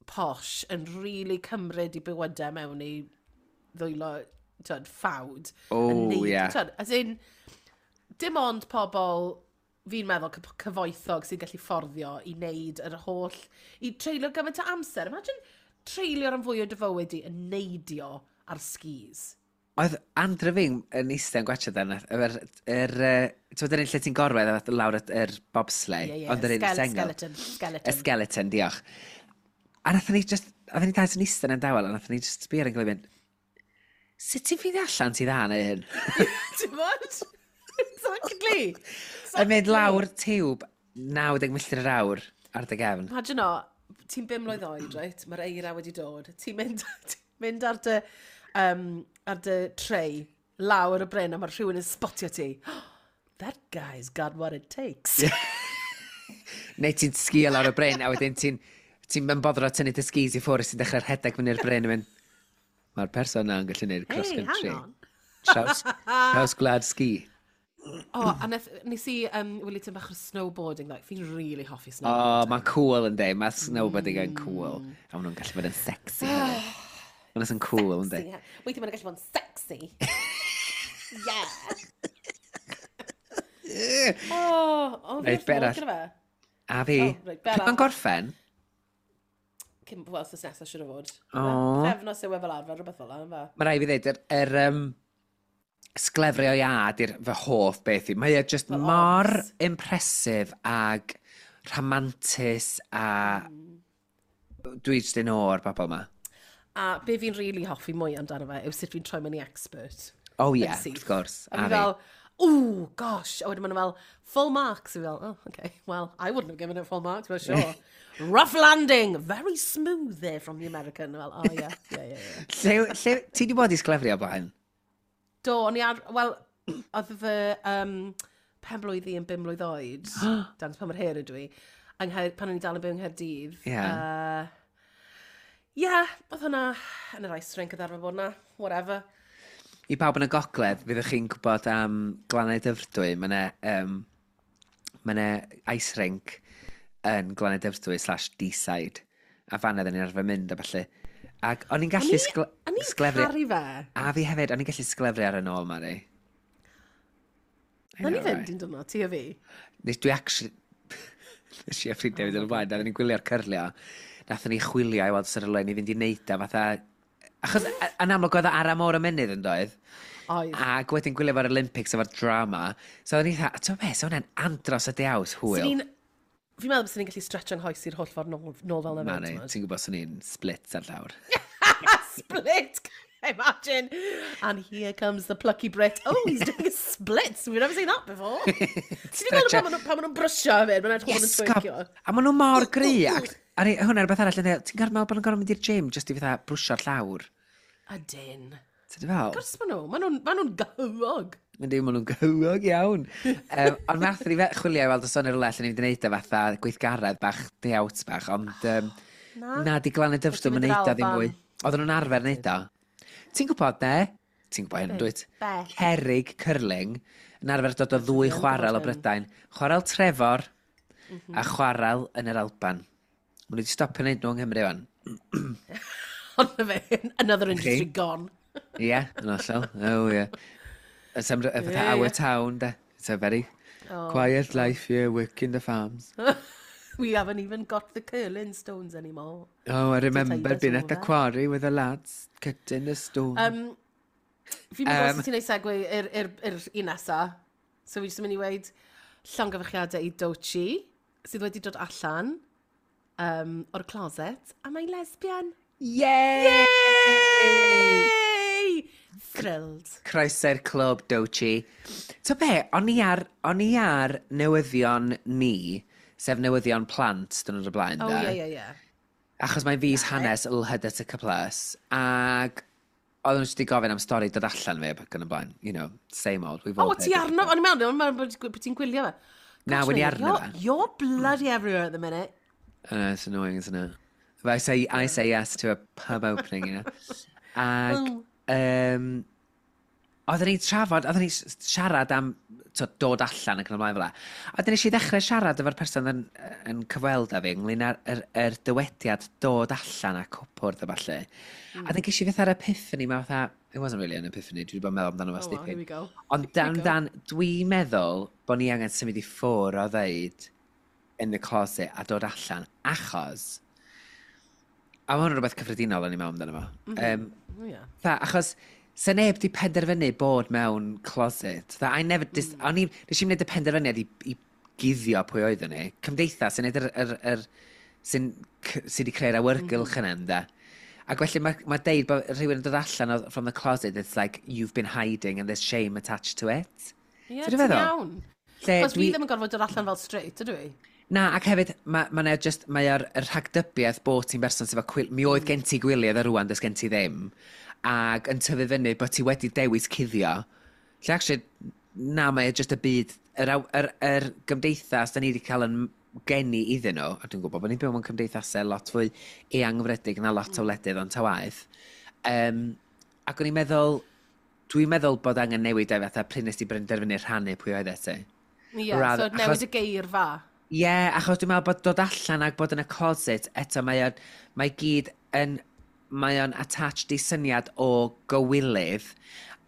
posh yn really cymryd i bywydau mewn i ddwylo, t'wod, ffawd. Oh, Yn neud- ie. T'wod, as in, dim ond pobl fi'n meddwl cyf- cyfoethog sy'n gallu fforddio i wneud yr holl, i treulio gymaint o amser. Imagine treulio rhan fwy o dy fywyd i yn neidio ar skis. Oedd Andrew fi'n yn eistedd yn gwachio dan, yr, yr, yy, ti'n yr un lle ti'n gorwedd a lawr y- yr bobsleigh, Ie, ie, ond yr un skele- sengl. skeleton, skeleton. Y skeleton, diolch. A nathon ni just, oedden ni dau yn eistedd yn dawel, a nathon ni just sbio ar ein gilydd mynd, "Sut ti'n ffeindio allan ti dda neu hyn?" Ti'n bod? Exactly. Yn mynd lawr tiwb naw deg milltir yr awr ar dy gefn. Imagine o, ti'n bum mlwydd oed, right? Mae'r eira wedi dod. Ti'n mynd, ti'n mynd ar dy, um, ar dy tray lawr y bryn a mae rhywun yn spotio ti. "That guy's got what it takes." Yeah. Neu ti'n sgio lawr y bryn, a wedyn ti'n ti'n mynd boddro tynnu dy skis i ffwrdd, ti'n dechrau rhedeg fyny'r bryn a mynd, "Mae'r person na'n gallu gwneud cross Hey, country." hang on. Traws, traws gwlad ski. O, oh, a neth, nes i um, wylio tipyn bach o snowboarding, like, fi'n really hoffi O, snowboarding. oh, mae'n cool yn de. Mae snowboarding yn cool. A maen nhw'n gallu bod yn sexy hefyd. Maen nhw'n cool yn de. Sexy. Weithiau maen nhw'n gallu bod yn sexy. Yeah. Oh, oh, fi Reit, wrth be fy modd arall? gyda fe. A fi, Oh, reit, be pryd mae'n arall? gorffen? Cyn, wel, wsos nesaf siwr o fod. O. Pythefnos yw e fel arfer, rhywbeth fel yna, Mae rhaid fi ddeud, yr, yr um, sglefrio iâ di'r fy hoff beth i. Mae e just Fel mor odds. impressive ag rhamantus a dwi jyst yn o'r bobl yma. A be fi'n really hoffi mwy amdano fe yw sut fi'n troi mewn i expert. Oh Yn yeah, syth. wrth gwrs. A fi fel, "Ooh, gosh." A wedyn maen nhw fel, "Full marks." A fi fel, "Oh, okay. Well, I wouldn't have given it full marks, but sure. Rough landing. Very smooth there from the American." Fel, "Oh, yeah, yeah, yeah, yeah." Lle, lle, ti di bod i sglefrio o blaen? Do, o'n i ar, wel, oedd fy um, pen blwydd i yn bum mlwydd oed, dan pa mor her ydw i, yng Nghaer, pan o'n i dal yn byw yng Nghaerdydd. Ie. Uh, yeah, oedd hwnna yn yr ice rink oedd arfer bod na, whatever. I bawb yn y gogledd, fyddwch chi'n gwybod am Glannau Dyfrdwy, mae yna um, ma 'na ice rink yn Glannau Dyfrdwy slash Deeside. A fan oedden ni'n arfer mynd a falle. Ac o'n i'n gallu sgle O'n i'n sglefrio. caru fe. A fi hefyd, o'n i'n gallu sglefrio ar y nôl, Mari. I Nawn ni know, fynd right? un diwrnod, ti a fi. Nes dwi actually. Nes i a ffrindiau fynd yn y blaen, oedden ni'n gwylio'r cyrlio. Nathon ni chwilio i weld sy'r rhywle i fynd i neud o fatha Achos, yn amlwg oedd o ar am o'r ymennydd yn doedd? Oedd. Ac wedyn gwylio fo'r Olympics efo'r drama. So o'n i dda, ti'n be, so hwnna'n andros o day out hwyl. Swn i'n... Fi'n meddwl byswn i'n gallu stretch nghoes i'r holl ffordd nôl, nôl fel 'na Mari, fyd. ti'n gwybod swn i'n split ar llawr. Split! Imagine! And here comes the plucky Brit. Oh, he's doing a split. We've never seen that before. Ti wedi gweld pan maen nhw- pan maen nhw'n brysio hefyd? Maen nhw'n edrych bod yn Iesgob! twerkio. A maen nhw mor gry. Ac, a ni- hwnna rhywbeth arall, yn ti'n gorfod meddwl bod nhw'n gorfod mynd i'r gym just i fatha brwsio'r llawr. Ydyn. Ti'n fel? Gwrs maen nhw. Maen nhw'n ma nhw'n gyhwog. Yndi, maen nhw'n gyhwog iawn. um, ond nath ni fe chwilio i weld os o'n rhywle lle ni'n mynd i wneud e fatha gweithgaredd bach, day out bach, ond um, Na. na, di Glan y Dyfrdwy Wedi yn mynd i'r neud o ddim Alban. mwy. Oedden nhw'n arfer neud o. Ti'n gwybod, ne? Ti'n gwybod hyn, dwyt? Be? Cerrig curling yn arfer dod o ddwy Dwi'n chwarel o gwbod hyn. Brydain. Chwarel Trefor Mhm. a chwarel yn yr Alban. Maen nhw wedi stopio wneud nhw yng Nghymru wan. Ond na fe, another industry gone. Ie, yeah, yn hollol. Oh, yeah. It's um, fatha Ie, our ie. town, de. It's a very Oh. quiet life here, working the farms. We haven't even got the curling stones anymore. Oh, I remember us being at the over. quarry with the lads, cutting the stone. Um, fi'n mynd Um, um, ti'n neud segue i'r i'r- i'r un nesa. So fi jyst yn mynd i weud llongyfarchiadau i Doechii, sydd wedi dod allan um, o'r closet, a mae'n lesbian. Yay! Yay! Thrilled. Croeso i'r clwb, Doechii. So be, o'n i ar, o'n i ar newyddion ni, sef newyddion plant, dyn nhw'n y blaen, Oh, de. ie, ie, ie. Achos mae'n fis hanes L H B T Q plus, ac oedden nhw jyst wedi gofyn am stori dod allan fi ac yn y blaen. You know, same old. We've all Oh, ti heard it arno? before. O'n i'n meddwl, o'n i'n meddwl bod ti'n gwylio fe. Na, Gosh, o'n i mate, arno you're- fe. You're bloody everywhere at the minute. I know, it's annoying, isn't it? But I say, I say yes to a pub opening, you know. Ac, um, oedden ni'n trafod, oedden ni'n siarad am to, dod allan ac yn ymlaen fel 'a. A wedyn nes i ddechrau siarad efo'r person yn, yn cyfweld â fi ynglyn â'r yr, yr dywediad dod allan a cwpwrdd a ballu. Mm. A wedyn ges i fatha'r epiphany, ma fatha, it wasn't really an epiphany, dwi wedi bod yn meddwl amdano fo Oh, well, here dipyn. we go. Ond dan, dan, dwi'n meddwl bod ni angen symud i ffwrdd o ddeud in the closet a dod allan, achos a ma' hwn yn rhywbeth cyffredinol o'n i'n meddwl amdano fo. Mm -hmm. um, Oh, yeah. Tha, achos se neb di penderfynu bod mewn closet. Tha, I never dis, mm. o'n i, nes i'n gwneud y penderfyniad i, i guddio pwy oeddwn ni. Cymdeithas sy'n neud yr, yr, yr, sy'n sy wedi creu'r awyrgylch mm. yna, ynde. Ac felly mae ma deud bod rhywun yn dod allan o, from the closet, it's like you've been hiding and there's shame attached to it. Ie, Ti'n ti'n feddwl? iawn. Lle Cos fi dwi- ddim yn gorfod dod allan fel straight, ydw i? Na, ac hefyd, mae ma 'na just, mae o'r yr rhagdybiaeth bod ti'n berson sydd efo cwil... Mi oedd gen ti gwyliau a rwan, does gen ti ddim. Ac yn tyfu fyny bod ti wedi dewis cuddio. Lle actually, na, mae e just y byd, yr, aw- yr, yr gymdeithas da ni wedi cael yn geni iddyn nhw, a dwi'n gwybod bod ni'n byw mewn cymdeithasau lot fwy eangfredig na lot o wledydd ond ta waeth. Um, ac o'n i'n meddwl, dwi'n meddwl bod angen newid e fatha pryd nes ti benderfynu rhannu pwy oedd e ti. Ie, Rather- so newid achos- y geirfa. Ie, yeah, achos dwi'n meddwl bod dod allan ac bod yn y closet, eto mae o'n, mae gyd yn, mae o'n attached i syniad o gywilydd,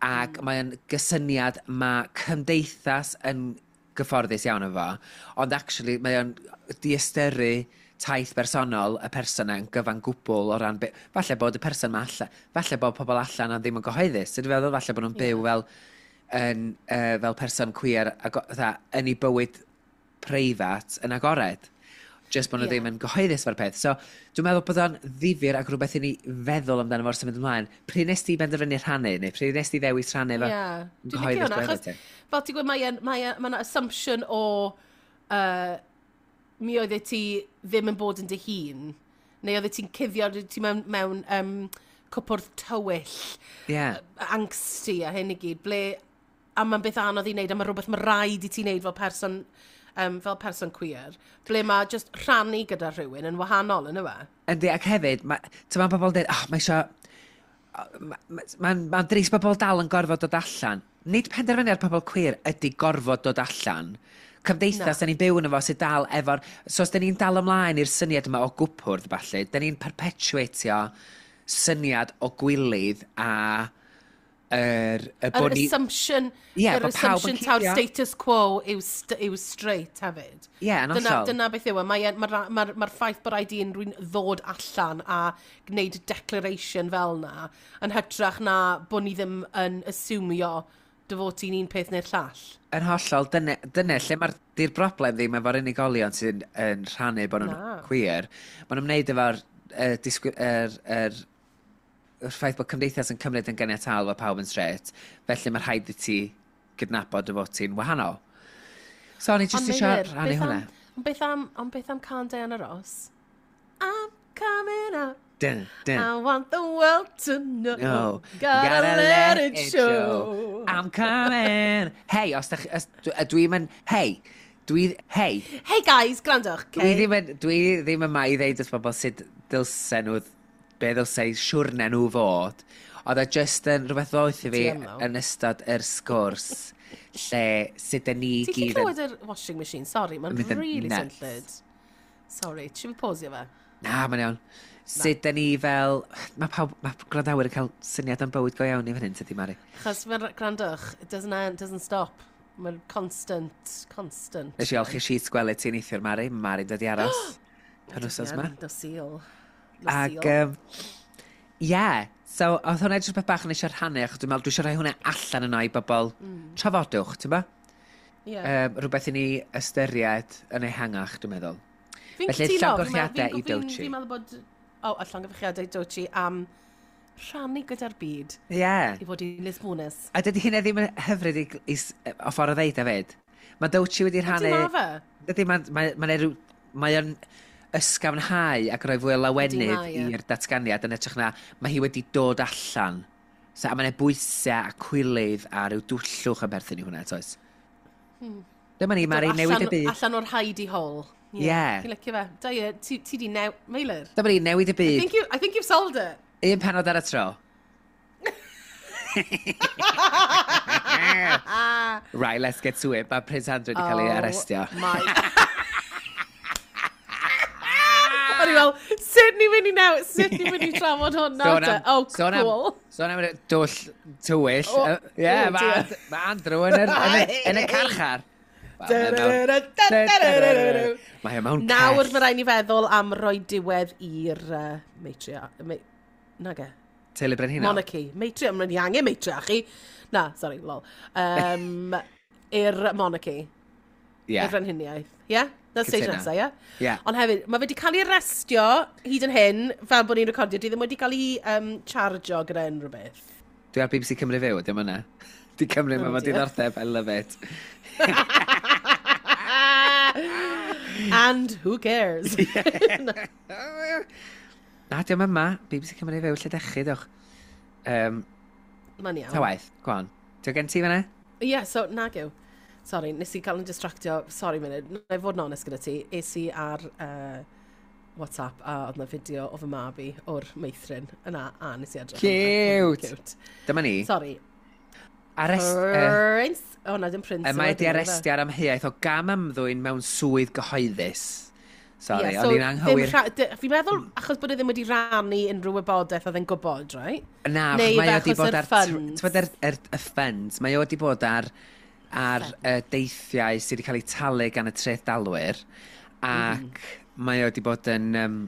ac mm. mae o'n gysyniad mae cymdeithas yn gyfforddus iawn efo, ond actually mae o'n diystyru taith bersonol y person yn gyfan gwbl o ran... Be, falle bod y person ma allan, falle bod pobl allan ond ddim yn gyhoeddus. Ti'n feddwl falle bod nhw'n byw fel, yn, uh, fel person queer ago, fatha, yn ei bywyd preifat yn agored. Just bod nhw Ie. ddim yn gyhoeddus fo'r peth. So, dwi'n meddwl bod o'n ddifyr ac rhywbeth i ni feddwl amdano fo'r symud ymlaen. Pryd nes ti benderfynu rhannu, neu pryd nes ti ddewis rhannu efo Ie. Dwi'n licio gyhoeddus hwnna, pwy achos oeddet ti? fel ti'n gweud, mae mae mae assumption o uh, mi oeddet ti ddim yn bod yn dy hun, neu oeddet ti'n cuddio, oeddet ti mewn, mewn um, cwpwrdd tywyll, Ie. angsty a hyn i gyd, ble, a mae'n beth anodd i wneud, a mae rhywbeth mae rhaid i ti wneud fel person, um, fel person queer, ble mae just rhannu gyda rhywun yn wahanol, yn yw e? Yndi, ac hefyd, ma, ti'n ma pobl yn dweud, oh, mae isio... Mae'n ma, ma drist bod pobl dal yn gorfod dod allan. Nid penderfyniad pobl queer ydy gorfod dod allan. Cymdeithas, da ni'n byw yn efo sydd dal efo'r... So os da ni'n dal ymlaen i'r syniad yma o gwpwrdd, falle, da ni'n perpetuatio syniad o gwilydd a yr... Y Yr bod ni... assumption, Ie, yr bod pawb yn assumption taw'r cuddio. status quo yw, st yw straight hefyd. Ie, yn Dyna, hollol. dyna beth yw e. Mae'r ma, ma, ma, ma ffaith bod rhaid i unrhyw'n ddod allan a gwneud declaration fel na, yn hytrach na bod ni ddim yn asumio dy fod ti'n un peth neu'r llall. Yn hollol, dyna, dyna lle mae'r di'r broblem ddim efo'r unigolion sy'n yn rhannu bod nhw'n Na. queer. Maen nhw'n wneud efo'r uh, disgwy, er, er, yr ffaith bod cymdeithas yn cymryd yn ganiataol fod pawb yn straight. Felly mae rhaid i ti gydnabod dy fod ti'n wahanol. So o'n i jyst Ond eisiau Meilir, rhannu beth hwnna. am- Ond beth am, ond beth am cân Diana Ross? I'm coming out. Dun, dun. I want the world to know. No. Gotta let it show. I'm coming. Hei, os da chi... os- dwi- Dwi'n mynd... Hei, dwi... Hei, Hey guys, gwrandwch, Dwi okay? ddim yn, dwi ddim yma i ddeud wrth bobl sut dylsen nhw, be ddylse eu siwrne nhw fod. Oedd e just yn rhywbeth ddoeth i fi Ti yn ddo. yn ystod yr sgwrs lle sut ydyn ni Ti'n gyd yn... clywed yr washing machine? Sorry, mae'n Mynd yn really nuts. swnllyd. Sorry, ti'n fi pausio fe? Na, mae'n iawn. Sut ydyn ni fel... Mae pawb, mae gwrandawyr yn cael syniad am bywyd go iawn i fan hyn, tydi, Mari? Achos mae'n gwrandwch, it doesn't, end, doesn't stop. Mae'n constant, constant. Nes i olchi sheets gwely ti'n neithiwr, Mari. Mae Mari'n dod i aros. Yr wsos yma. Nos Sul. Nos Ac, Sul. um, yeah, so oedd hwnna jyst rhywbeth bach yn eisiau rhannu, achos dwi'n meddwl dwi eisiau rhoi hwnna allan yno i bobl mm. trafodwch, ti'n ba? Yeah. Um, rhywbeth i ni ystyried yn ehangach, dwi'n meddwl. Fi'n felly, cytuno, fi'n llongyfarchiadau meddwl- i fi'n- Dochi. Fi'n meddwl bod... O, a llongyfarchiadau i Dochi am rhannu gyda'r byd Ie. Yeah. i fod i'n Lisbonus. A dydy hynna ddim yn hyfryd i, i, s- o ffordd o ddeud hefyd. Mae Dochi wedi rhannu... Ydy ma fe? Dydy, mae'n mae, mae rhyw... Mae o'n ysgafnhau ac rhoi fwy o lawenydd Ydi, mae, ie. i'r datganiad yn edrych na mae hi wedi dod allan. So, a mae'n bwysau a cwilydd a rhyw dwllwch yn perthyn i hwnna, toes? Hmm. Dyma ni, Mari, Dod newid y allan- byd. Allan o'r hidey hole. Ie. Fi'n licio fe. Da ie, ti, ti di new... Meilir. Dyma ni, newid y I byd. think, you, I think you've solved it. Un penod ar y tro. Right, let's get to it. Mae Prince Andrew wedi cael ei arestio. Oh My. O'n i fel, sut ni'n mynd i new, sut ni'n mynd i trafod hwn nawr te? Oh, sôn am- cool. Sôn am y dwll tywyll. Oh, Ie, oh mae dear. And- ma Andrew yn yr, yn y, yn y carchar. Wel, mae mewn- Mae e mewn Nawr cell. mae rhaid ni feddwl am roi diwedd i'r uh, matria... Ma, nage. Teulu Brenhinol. Monarchy. Matria, mae'n ni angen matriarchy. Na, sorry, lol. Um, i'r monarchy. Ie. Yeah. Y frenhiniaeth. Ie? Yeah? Na'r stage Cytuno. nesaf, ie? Ie. Ond hefyd, mae fe wedi cael ei arestio hyd yn hyn, fel bod ni'n recordio, di ddim wedi cael ei um, chargio gyda unrhyw beth. Dwi ar B B C Cymru Fyw, dim yna. Di Cymru, Oh, mae fo dear. diddordeb, I love it. And who cares? Na, diolch yma. B B C Cymru Fyw, lle dechu, dewch. Um, Mae'n iawn. ta waith, go on. Ti'n gen ti fan'na? Ie, yeah, so nag yw. Sorry, nes i cael yn distractio. Sorry, munud. Na i fod yn onest gyda ti. Es i ar uh, WhatsApp a oedd na fideo o fy mab i o'r meithrin yna a nes i edrych arno. Cute! Cute. Dyma ni. Sorry. Arrest, uh, Prince. O, na, dim Prince. y mae yw e, di dim ife? arestio ar amheuaeth o gam ymddwyn mewn swydd gyhoeddus. Sorry, Ie, o'n i'n ddim anghywir. rha- dy- Fi'n meddwl, achos bod e ddim wedi rannu unrhyw wybodaeth oedd e'n gwybod, right? Na, Neu achos mae o ife di achos bod yr ar... funds? Ti'n bod yr, yr, y funds, mae o di bod ar, ar y deithiau sydd wedi cael eu talu gan y trethdalwyr, ac mm. mae o di bod yn... Um,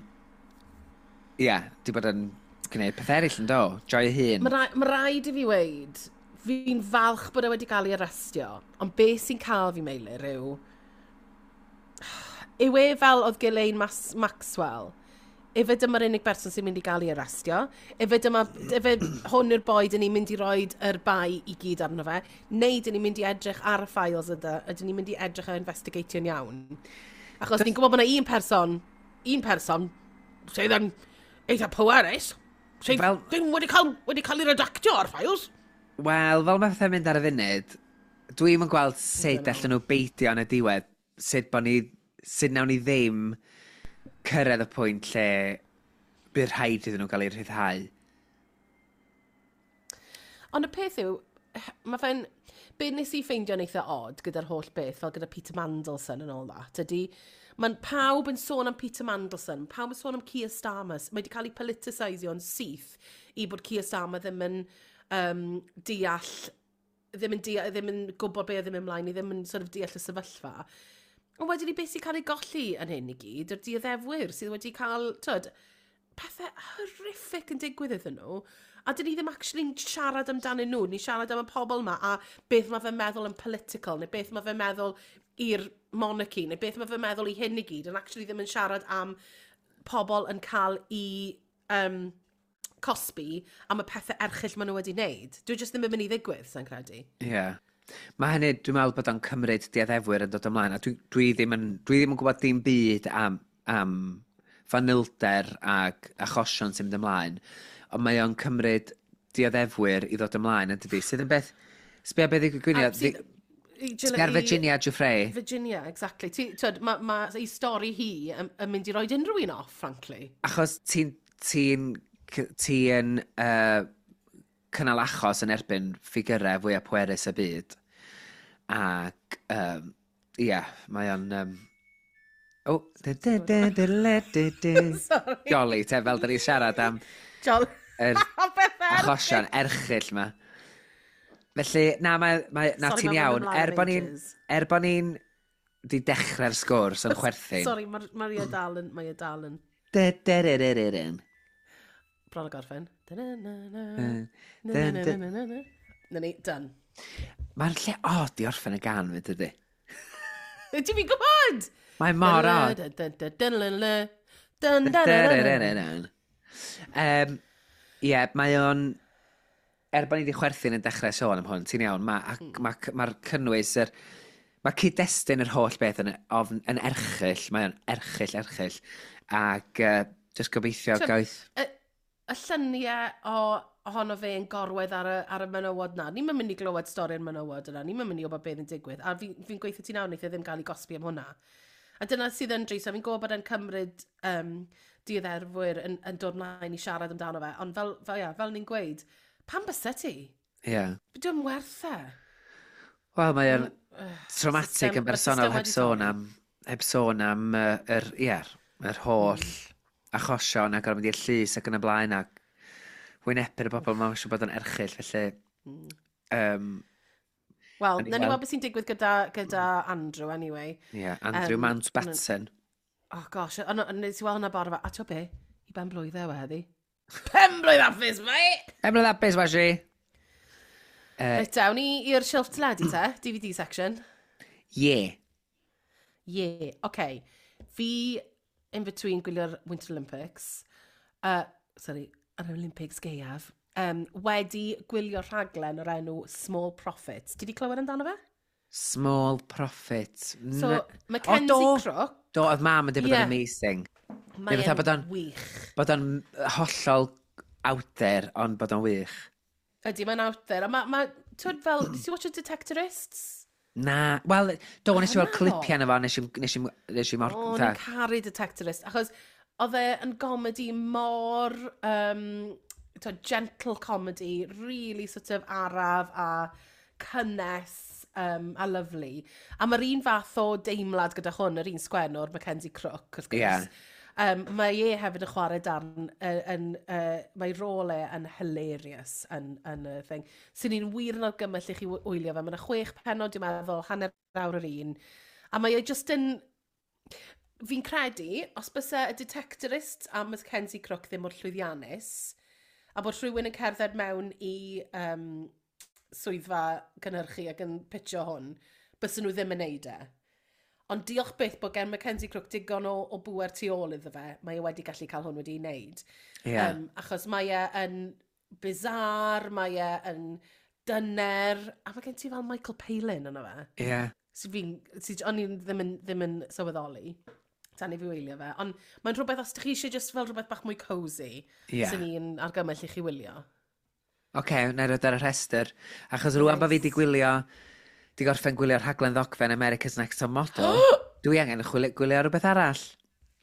Ie, yeah, di bod yn gwneud peth eraill yn do, joio hun. Mae rai- ma raid i fi weud, fi'n falch bod e wedi cael ei arestio, ond beth sy'n cael fi, Meilir, yw... Yw e fel oedd Ghislaine Mas Maxwell? Ife dyma'r unig berson sy'n mynd i gael ei arestio? Ife dyma, ife hwn yw'r boi dyn ni'n mynd i roid yr bai i gyd arno fe? Neu dyn ni'n mynd i edrych ar y files ydy, ydyn ni'n mynd i edrych ar investigatio'n iawn? Achos ni'n gwybod bod yna un person, un person, sydd yn eitha pwerus, sydd Fel- ddim wedi cael, wedi cael ei redactio ar files. Wel, fel mae pethau'n mynd ar y funud, dwi'm yn gweld sut allan nhw beidio yn y diwedd, sut bo ni, sut nawn ni ddim cyrraedd y pwynt lle bydd rhaid iddyn nhw gael eu rhyddhau. Ond y peth yw, Mae fe'n... Be nes i ffeindio'n eitha odd gyda'r holl beth, fel gyda Peter Mandelson and all that, ydy, mae'n pawb yn sôn am Peter Mandelson, pawb yn sôn am Keir Starmer, mae wedi cael ei politicisio'n syth i bod Keir Starmer ddim yn um, deall, ddim yn, deall, ddim yn gwybod be oedd ddim ymlaen, i ddim yn sort of deall y sefyllfa. Ond wedyn ni beth sy'n cael ei golli yn hyn i gyd, yr dioddefwyr sydd wedi cael, tyd, pethau horrific yn digwydd iddyn nhw. A dyn ni ddim actually'n siarad amdanyn nhw, ni'n siarad am y pobl yma a beth mae fe'n meddwl yn political, neu beth mae fe'n meddwl i'r monarchy, neu beth mae fe'n meddwl i hyn i gyd, yn actually ddim yn siarad am pobl yn cael i um, cosbi am y pethau erchyll maen nhw wedi wneud. Dwi jyst ddim yn mynd i ddigwydd, sa'n credu. Ie. Yeah. Mae hynny, dwi'n meddwl bod o'n cymryd dioddefwyr yn dod ymlaen, a dwi, dwi, ddim, yn, dwi ddim yn gwybod dim byd am, am fanylder ac achosion sy'n mynd ymlaen, ond mae o'n cymryd dioddefwyr i ddod ymlaen, yn dydi? Sydd yn beth... Sbia beth i gwynio... Sbia ar Virginia Giuffre. Virginia, exactly. Ti, twyd, mae ma, ei stori hi yn, yn mynd i roed unrhyw un off, frankly. Achos ti'n ti'n ti'n uh, cynnal achos yn erbyn ffigurau fwyaf pwerus y byd. Ac, um, ie, yeah, mae o'n... Um, oh, Sorry. Jolly, te, fel da ni siarad am Jolly. yr achosion erchyll ma. Felly, na, mae, mae, na Sorry, ti'n ma'n mynd iawn. ymlaen Er am bo ni'n ages. er bo ni'n di dechrau'r sgwrs yn chwerthin. Sorry, mae ma e dal yn... Mae e dal yn... De, de, de, de, de, de. Bron o gorffen. Dun, Na Na ni, done. Mae'r lle odd i orffen y gan, fyd, ydy. Ti'n fi'n gwybod? Mae mor odd. Dun, dun, dun, dun, dun. Um, Ie, mae o'n... Er bod ni wedi chwerthin yn dechrau sôn am hwn, ti'n iawn, mae'r ma, ma, mae'r cynnwys, yr, mae cyd-destun yr holl beth yn, ofn, yn erchyll, mae o'n erchyll, erchyll, ac uh, just gobeithio T'wod, gaeth... Y, y lluniau o ohono fe yn gorwedd ar y, ar y menywod na. Ni'n mynd i glywed stori'r menywod yna. Ni'n mynd i wybod beth yn digwydd. A fi'n fi gweithio ti nawr, wneith e ddim gael ei gosbi am hwnna. A dyna sydd yn drist. A fi'n gwybod bod e'n cymryd um, dioddefwyr yn, yn dod mlaen i siarad amdano fe. Ond fel, fel, ia, fel ni'n gweud, pam byse ti? Ie. Yeah. Dwi'n werth e. Wel, mae o'n Ugh, traumatic system- yn ma'r bersonol system heb wedi sôn torri. am, heb sôn am uh, yr, ie, yr holl achosion ac ar mynd i'r llys ac yn y blaen ac wynebu'r bobl mae'n siŵr bod o'n erchyll, felly... Um, Wel, O'n i nawn ni weld- weld beth sy'n digwydd gyda, gyda Andrew, anyway. yeah, Andrew Yym, Mountbatten. Oh gosh, ond ond nes i weld hwnna bore fe. A ti'n be? I ben blwydd e heddi. Pen blwydd hapus, mate! Pen blwydd hapus, Washi! Reit, awn ni i'r shelf teledu te, D V D section. Yeah. Yeah, okay. Fi, in between gwylio'r Winter Olympics, uh, sorry, yr Olympics gaeaf, um, wedi gwylio rhaglen o'r enw Small Profits. Ti di clywed amdano fe? Small Profit. So, N- Mackenzie O, do. Crook, Do, oedd mam yn dweud bod Ie. o'n amazing. Mae fatha e'n bod o'n- wych. Bod o'n hollol out there, ond bod o'n wych. Ydy, mae'n out there. A mae, ma, twyd fel, nes i watch o Detectorists? Na, wel, do, nes i weld naddo. clipiau yna fo, nes i, nes i, nes i mor... O, ni'n caru Detectorist, achos oedd e yn gomedi mor, um, twyd, gentle comedy, really sort of araf a cynnes um, a lovely. A mae'r un fath o deimlad gyda hwn, yr un sgwennwr, Mackenzie Crook, wrth gwrs. Ie. Um, mae e hefyd yn chwarae darn, uh, yn, uh, mae rôl e yn hilarious yn, yn y thing. Sy'n ni'n wir yn argymell i chi wy- wylio fe. Mae yna chwech pennod, dwi'n meddwl, hanner awr yr un. A mae e just yn... Fi'n credu, os byse y Detectorist a Mackenzie Crook ddim mor llwyddiannus, a bod rhywun yn cerdded mewn i um, swyddfa gynhyrchu ac yn pitio hwn, bysen nhw ddim yn neud e. Ond diolch byth bod gen Mackenzie Crook digon o, o bŵer tu ôl iddo fe, mae e wedi gallu cael hwn wedi ei wneud. Ie. Um, achos mae e yn bizarre, mae e yn dyner, a mae gen ti fel Michael Palin yno fe. Ie. Sy fi'n, sy, o'n i'n ddim yn, ddim yn sylweddoli tan i fi wylio fe. Ond mae'n rhywbeth, os ydych chi eisiau just fel rhywbeth bach mwy cosy, Ie. sy'n ni'n argymell i chi wylio. Oce, okay, na i roed ar y rhestr. Achos rŵan bod fi di gwylio, di gorffen gwylio'r rhaglen ddogfen America's Next Top Model, dwi angen chwilio, gwylio rhywbeth arall.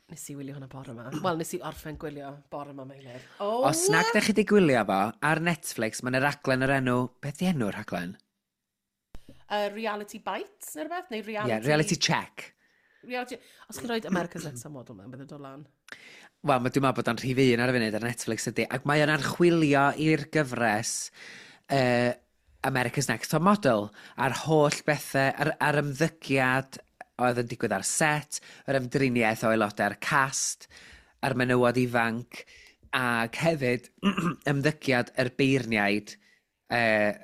Nes i wylio hwnna bore yma. Wel, nes i orffen gwylio bore yma, Meilir. Oh! Os nag da chi wedi gwylio fo, ar Netflix, mae'n raglen o'r enw... Beth di enw'r rhaglen? Uh, Reality Bites, neu rhywbeth? Neu reality... Yeah, Reality Check. Reality... Os chi'n rhoi America's Next Top Model mewn, bydd yn dod lan. Wel, mae dwi'n meddwl bod o'n rhif un ar y funud ar Netflix ydy. Ac mae o'n archwilio i'r gyfres uh, America's Next Top Model a'r holl bethau, a'r, ar ymddygiad oedd yn digwydd ar set, yr ymdriniaeth o aelodau'r cast, a'r menywod ifanc, ac hefyd ymddygiad yr beirniaid, uh,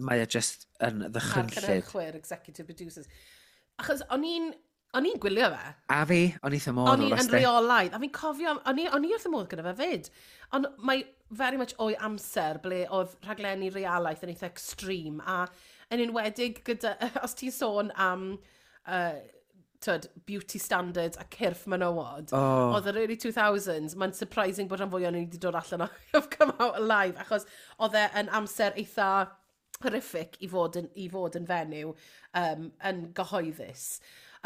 mae o just yn A'r ddychrynllyd. cynhyrchwyr, executive producers. Achos o'n i'n o'n i'n gwylio fe. A fi, o'n eitha modd O'n o'r i yn asti. reolaidd. A fi'n cofio, o'n i, o'n i wrth y modd gyda fe fyd. Ond mae very much o'i amser ble oedd rhaglenni realaeth yn eitha extreme. A yn enwedig gyda, os ti'n sôn am uh, tyd, beauty standards a cyrff menywod, Oh. oedd yr early two thousands, mae'n surprising bod rhan fwy o'n i wedi dod allan o have come out alive, achos oedd e yn amser eitha horrific i fod yn, i fod yn fenyw um, yn gyhoeddus.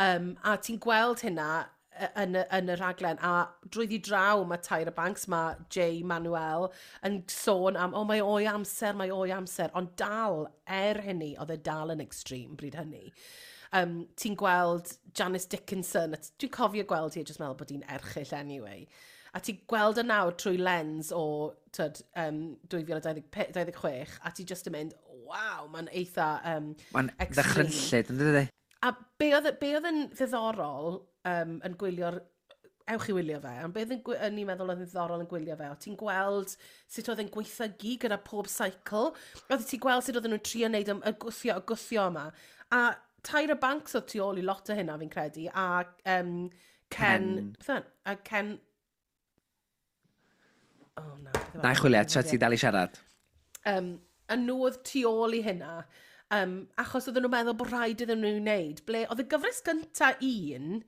Um, a ti'n gweld hynna y- yn, y- yn y rhaglen, a drwyddi draw mae Tyra Banks, mae Jay Manuel yn sôn am, "O, mae o'i amser, mae o'i amser," ond dal, er hynny, oedd e dal yn extreme bryd hynny. Um, ti'n gweld Janice Dickinson, a t- dwi'n cofio gweld hi a just meddwl bod hi'n erchyll anyway. A ti'n gweld y nawr trwy lens o tyd, um, dwy fil dau ddeg chwech, a ti just yn mynd, "Waw, mae'n eitha um, Mae'n extreme." ddychrynllyd, yn dydy? A be oedd, be oedd yn ddiddorol um, yn gwylio'r... Ewch i wylio fe, ond be oedd yn, gwy- yn i'n meddwl oedd yn ddiddorol yn gwylio fe, o ti'n gweld sut oedd e'n gweithio gyda pob cycle, oedd ti'n gweld sut oedden nhw'n trio wneud y, y gwthio, y gwthio yma. A Tyra Banks oedd tu ôl i lot o hynna, fi'n credu, a um, Ken... Ken. Beth yw e? A Ken... Oh, na. Beth yw e? Na i chwilio, tra ti dal i siarad. Um, a nhw oedd tu ôl i hynna, um, achos oedden nhw'n meddwl bod rhaid iddyn nhw wneud. Ble oedd y gyfres gynta un,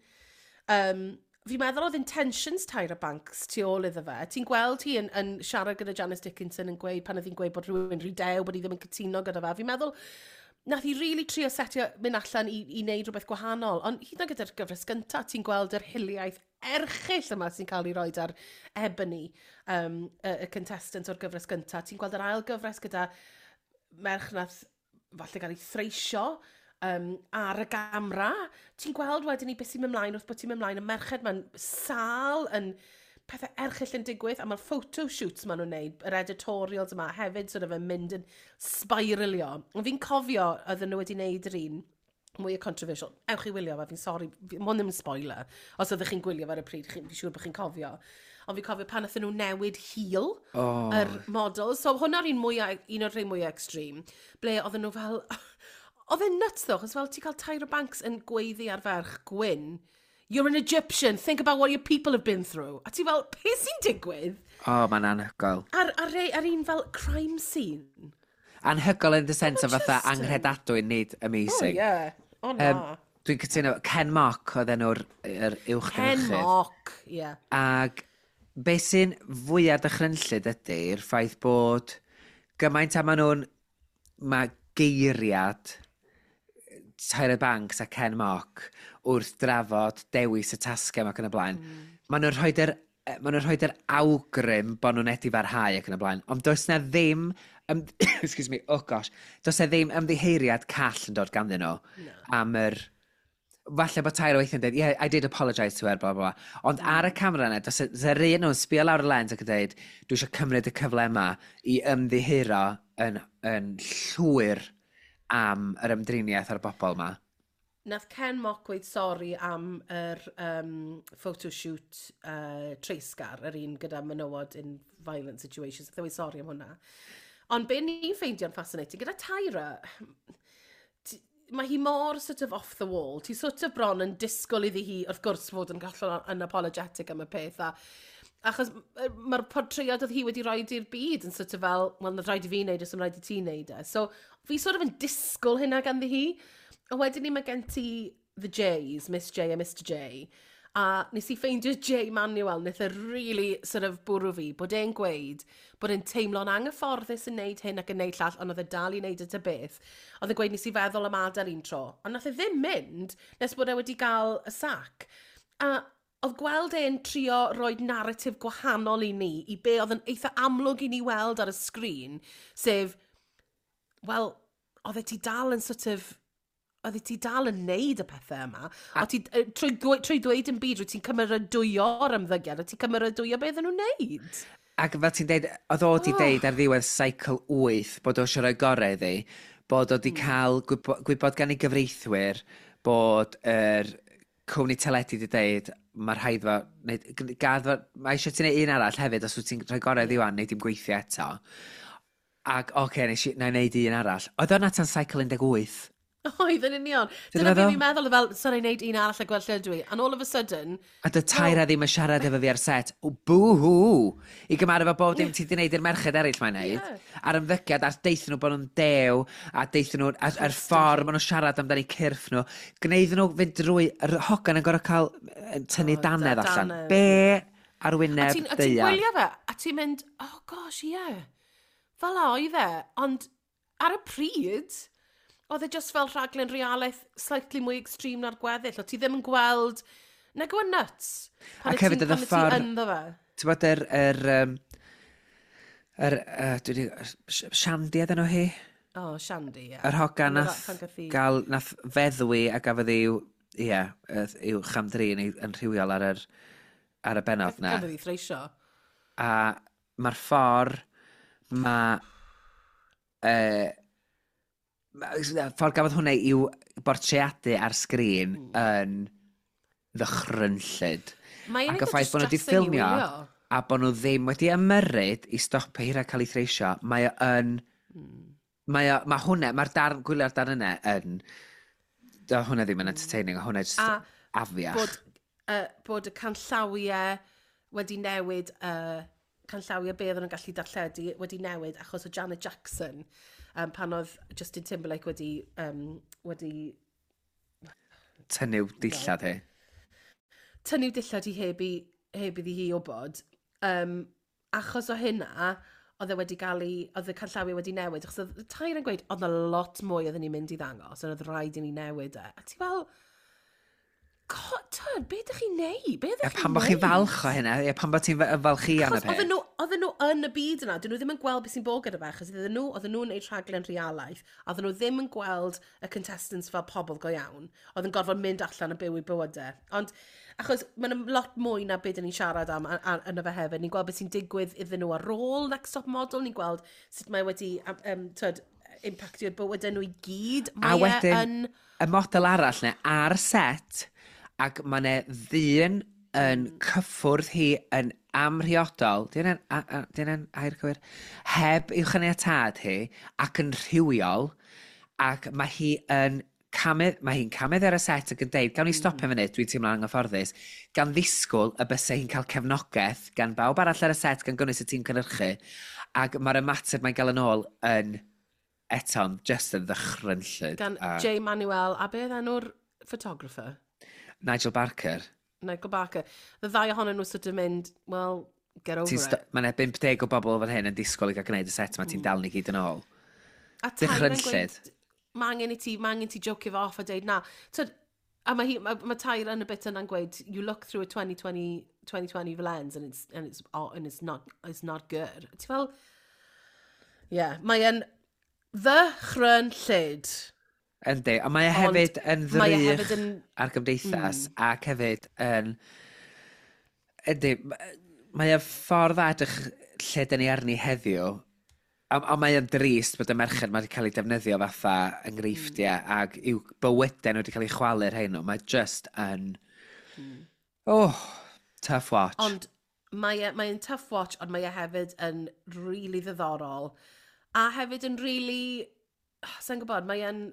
um, fi'n meddwl oedd intentions Tyra Banks tu ôl iddo fe. Ti'n gweld hi yn, yn siarad gyda Janice Dickinson yn gweud, pan oedd hi'n gweud bod rhywun rhy dew, bod hi ddim yn cytuno gyda fe. Fi'n meddwl, nath hi really trio setio mynd allan i, i wneud rhywbeth gwahanol. Ond hyd yn oed gyda'r gyfres gynta, ti'n gweld yr hiliaeth erchyll yma sy'n cael ei roi ar Ebony, um, y, y contestant o'r gyfres gynta. Ti'n gweld yr ail gyfres gyda merch nath falle gael ei threisio um, ar y gamra. Ti'n gweld wedyn i beth sy'n mynd ymlaen wrth bod ti'n mynd ymlaen, y merched ma'n sal yn pethau erchyll yn digwydd, a mae'r photoshoots maen nhw'n neud, yr editorials yma hefyd sort of yn mynd yn spiralio. Ond fi'n cofio oedden nhw wedi neud yr un mwy o controversial. Ewch i wylio fe, fi'n sori, fi- ma' hwn ddim yn spoiler. Os oeddech chi'n gwylio fe ar y pryd, chi'n fi'n siŵr bod chi'n cofio. Ond fi'n cofio pan nathon nhw newid hil Oh. yr model. So hwnna'r un mwyaf, un o'r rhai mwyaf extreme, ble oedden nhw fel... Oedd e'n nuts though, chos fel ti'n cael Tyra Banks yn gweiddi ar ferch gwyn, "You're an Egyptian, think about what your people have been through." A ti fel, "Beth sy'n digwydd?" O, oh, mae'n anhygoel. Ar, ar, ar, ar un fel crime scene. Anhygoel in the sense o fatha just yn- anghredadwy, nid amazing. Oh, yeah. Oh, na. Um, Dwi'n cytuno, Ken Mock oedd enw'r yr uwch Ken gynhyrchydd. Mock, yeah. Ac be sy'n fwyaf dychrynllyd ydy'r ffaith bod gymaint am maen nhw'n, mae geiriad Tyra Banks a Ken Mock wrth drafod dewis y tasgau ac yn y blaen. Mm. Maen nhw'n rhoi yr maen nhw'n rhoi yr awgrym bod nhw'n edifarhau ac yn y blaen. Ond does na ddim, ym, excuse me, oh gosh, does na ddim ymddiheuriad call yn dod ganddyn nhw no. am yr... Falle bod Tyra weithiau'n dweud, "Yeah, I did apologise to her," blah, blah, blah. Ond mm. ar y camera yna, does yr un nhw'n sbio lawr y lens ac yn dweud, "Dwi eisiau cymryd y cyfle yma i ymddiheuro yn, yn llwyr am yr ymdriniaeth ar y bobl yma." Nath Ken Mock gweud sori am yr um, photoshoot uh, treisgar, yr un gyda menywod in violent situations. Nath e weud sori am hwnna. Ond be ni'n ffeindio'n fascinating, gyda Tyra, ti- mae hi mor sort of off the wall. Ti sort of bron yn disgwyl iddi hi, wrth gwrs, fod yn hollol unapologetic am y peth. A, achos yy, mae'r portread oedd hi wedi rhoi i'r byd yn sort of fel, "Wel, nath rhaid i fi wneud, os dim rhaid i ti wneud e." So, fi sort of yn disgwyl hynna ganddi hi. A wedyn ni mae gen ti the J's, Miss J a Mister J. A nes i ffeindio Jay Manuel, wnaeth e really sort of bwrw fi, bod e'n gweud bod e'n teimlo'n anghyfforddus yn neud hyn ac yn neud llall, ond oedd e dal i neud y ta beth. Oedd e'n gweud, "Nes i feddwl am adael un tro." Ond nath e ddim mynd nes bod e wedi cael y sac. A oedd gweld e'n trio rhoi narratif gwahanol i ni, i be oedd yn eitha amlwg i ni weld ar y sgrin, sef, wel, oedd e ti dal yn sort of, oedd e ti dal yn neud y pethau yma. A ti, yy, trwy, gwe- trwy dweud yn byd, rwy ti'n cymeradwyo'r ymddygiad, a ti'n cymeradwyo beth oedden nhw'n neud. Ac fel ti'n deud, oedd o di Oh. deud ar ddiwedd cycle wyth bod o eisiau rhoi gorau iddi, bod o di Hmm. cael gwybo, gwybod gan ei gyfreithwyr bod yr cwmni teledu di deud mae rhaid fo, neu, gad fo, mae eisiau ti neud un arall hefyd os wyt ti'n rhoi gorau iddi wan, neu dim gweithio eto. Ac oce, okay, nes i, na i neud un arall. Oedd o'n tan cycle un deg wyth. Oedd yn union. Ti'n Dyna beth meddwl? fi'n meddwl, fel, sorry, wneud un arall a gweld lle dwi. And all of a sudden, A dy Tyra ddim yn siarad efo fi ar set. O, boo-hoo! I gymharu efo bob dim ti di wneud i'r merched eraill mae'n neud. Ie. A'r ymddygiad, a deithon nhw bod nhw'n dew, a deithon nhw, a'r, a'r ffordd maen nhw'n siarad amdani cyrff nhw. Gwneud nhw fynd drwy, yr hogan yn gorfod cael yy, tynnu O, dannedd allan. dannedd. Be ar A wyneb ti'n a ti'n daear? gwylio fe, a ti'n mynd, "Oh gosh, ie. Yeah. Fel a oedd e." Ond ar y pryd, oedd e just fel rhaglen realaeth slightly mwy extreme na'r gweddill. O ti ddim yn gweld. Na go nuts. Pan Ac wyt ti'n- hefyd oedd y pan wyt ti ffordd- ynddo fe. Ti'n bod yr... yr, um, yr, uh, dwi 'di- Sh- Shandy ydyn nhw hi? Oh, Shandy, ie. Yr hogan Pan nath pan gath hi- gael, nath feddwi a gafodd i'w, ie, yy, i'w chamdrin i- yn rhywiol ar yr, ar y benod na. Gafodd hi threisio. A mae'r ffordd mae... Uh, ffordd gafodd hwnna i'w bortreadu ar sgrin mm. yn ddychrynllyd. Mae'n Ac y eitha ffaith bod nhw wedi distressing i ffilmio wylio. a bod nhw ddim wedi ymyrryd i stopio hi rhag cael ei threisio, mae o yn... Mae o, mae hwnna, mae'r darn, gwylio'r darn yna yn... Do hwnna ddim yn entertaining, o hwnna just A afiach. bod, uh, bod y canllawiau wedi newid, uh, canllawiau be oedden nhw'n gallu darlledu wedi newid achos o Janet Jackson, um, pan oedd Justin Timberlake wedi, um, wedi Tynnu dillad hi. Tynnu dillad i heb, i, heb iddi hi wybod. Um, achos o hynna, oedd e wedi cael ei, oedd y canllawiau wedi newid. Achos oedd Tyra yn gweud, oedd 'na lot mwy oedden ni'n mynd i ddangos, ond oedd rhaid i ni newid e. A ti fel, "God, tyd, be ydych chi'n neud? Be A ydych chi'n pan bod chi'n falch o hynna, ie, pan bod ti'n falch i am y Achos oedden peth. nhw, oedden nhw yn y byd yna, dyn nhw ddim yn gweld beth sy'n bod gyda fe, achos oedden nhw, oedden nhw'n neud rhaglen realaeth, a oedden nhw ddim yn gweld y contestants fel pobl go iawn, oedd yn gorfod mynd allan a byw i bywydau. Ond, achos mae'n lot mwy na beth ni'n siarad am a- a- yno fe hefyd, ni'n gweld beth sy'n digwydd iddyn nhw ar ôl Next Top Model, ni'n gweld sut mae wedi, um, tyd, impactio bywydau nhw i gyd. A Mae e wedyn, yn y model arall ne, ar set, ac mae 'ne ddyn yn cyffwrdd hi yn amhriodol, di hynna'n a- a- di hynna'n air cywir, heb i'w chaniatâd hi, ac yn rhywiol, ac mae hi yn camu, mae hi'n camu ar y set ac yn deud, "Gawn ni stopio mm. funud, dwi'n teimlo'n anghyfforddus," gan ddisgwyl y bysau hi'n cael cefnogaeth gan bawb arall ar y set, gan gynnwys y tîm cynhyrchu, ac mae'r ymateb mae'n gael yn ôl yn eto'n just yn ddychrynllyd. Gan a Jay Manuel, a beth enw'r photographer? Nigel Barker. Nigel Barker. Y ddau ohonyn nhw sort of mynd, "Well, get over Ti'n it." sto- Mae yna bump deg o bobl fan hyn yn disgwyl i gael gwneud y set yma, ti'n dal ni gyd yn ôl. A Tyra yn Dychrynllyd. gweud, mae angen i ti, mae angen i ti jocio fo off a deud na. Tyd, a mae, hi, mae, mae Tyra yn y bit yna'n gweud, "You look through a twenty twenty, twenty twenty lens and it's, and it's, oh, and it's, not, it's not good." Ti fel, yeah, mae yn ddychrynllyd. Yndi, ond mae e Ond hefyd yn mae e ddrych hefyd yn- ar gymdeithas mm. ac hefyd yn... Yndi, ma- mae e ffordd dda edrych lle dyn ni arni heddiw, a, a mae e'n drist bod y merched ma wedi cael eu defnyddio fatha enghreifftiau mm. ac i'w bywydau nhw wedi cael eu chwalu rhain nhw. Mae just yn... Mm. Oh, tough watch. Ond mae e, mae'n tough watch, ond mae e hefyd yn really ddiddorol. A hefyd yn really... Sa'n gwybod, mae e'n...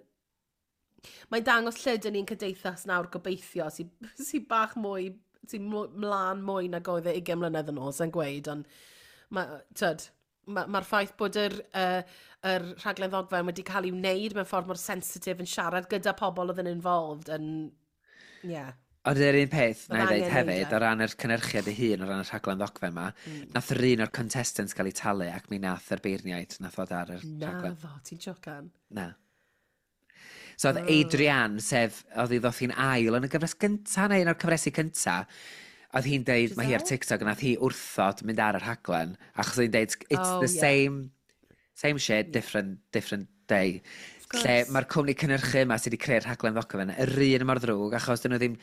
Mae'n dangos lle dyn ni'n cymdeithas nawr gobeithio, sy'n sy bach mwy, sy'n mlaen mwy nag oedd e ugain mlynedd yn ôl, sa'n gweud, ond mae'r ma, mae'r ffaith bod yr, uh, yr rhaglen ddogfen wedi cael ei wneud mewn ffordd mor sensitif yn siarad gyda pobl oedd yn involved yn... Yeah. Ond yr un peth, na i Oedd ddeud angen hefyd, neud e. o ran yr cynhyrchiad ei hun, o ran y rhaglen ddogfen ma, mm. nath yr un o'r contestants gael ei talu ac mi nath yr beirniaid nath ddod ar yr Na rhaglen. ddo, ti'n jocan. Na. So oedd Adrienne, sef, oedd hi ddoth hi'n ail yn y gyfres gynta, neu un o'r cyfresi cynta, Oedd hi'n deud, mae hi ar Giselle? TikTok, a nath hi wrthod mynd ar y rhaglen, achos oedd hi'n deud, "It's Oh, the yeah. same, same shit, different, different day." Of Lle course. mae'r cwmni cynhyrchu yma sydd wedi creu'r rhaglen ddogfen, yr un mor ddrwg, achos dyn nhw ddim,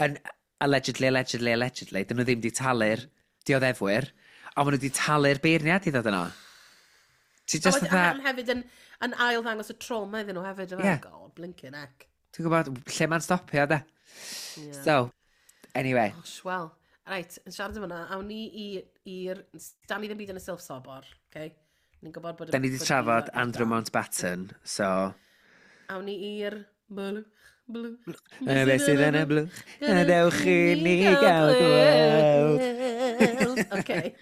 yn allegedly, allegedly, allegedly, dyn nhw ddim wedi talu'r dioddefwyr, ond maen nhw wedi talu'r beirniad i ddod yno. Ti A just wedyn- fatha, a hefyd yn, yn ail ddangos y trauma iddyn nhw hefyd. Ie. Yeah. God, blinking heck. Ti'n gwybod, lle mae'n stopio, de? Yeah. So, anyway, Gosh, wel, reit, yn siarad am hwnna, awn ni i- i'r... Da ni ddim byd yn y silff sobor, okay? Ni'n gwybod bod... y- da ni wedi bod trafod fi- Andrew Mountbatten, so. Awn ni i'r blwch, blwch. Y beth sydd yn y blwch, a dewch i ni gael gweld. gweld. Okay.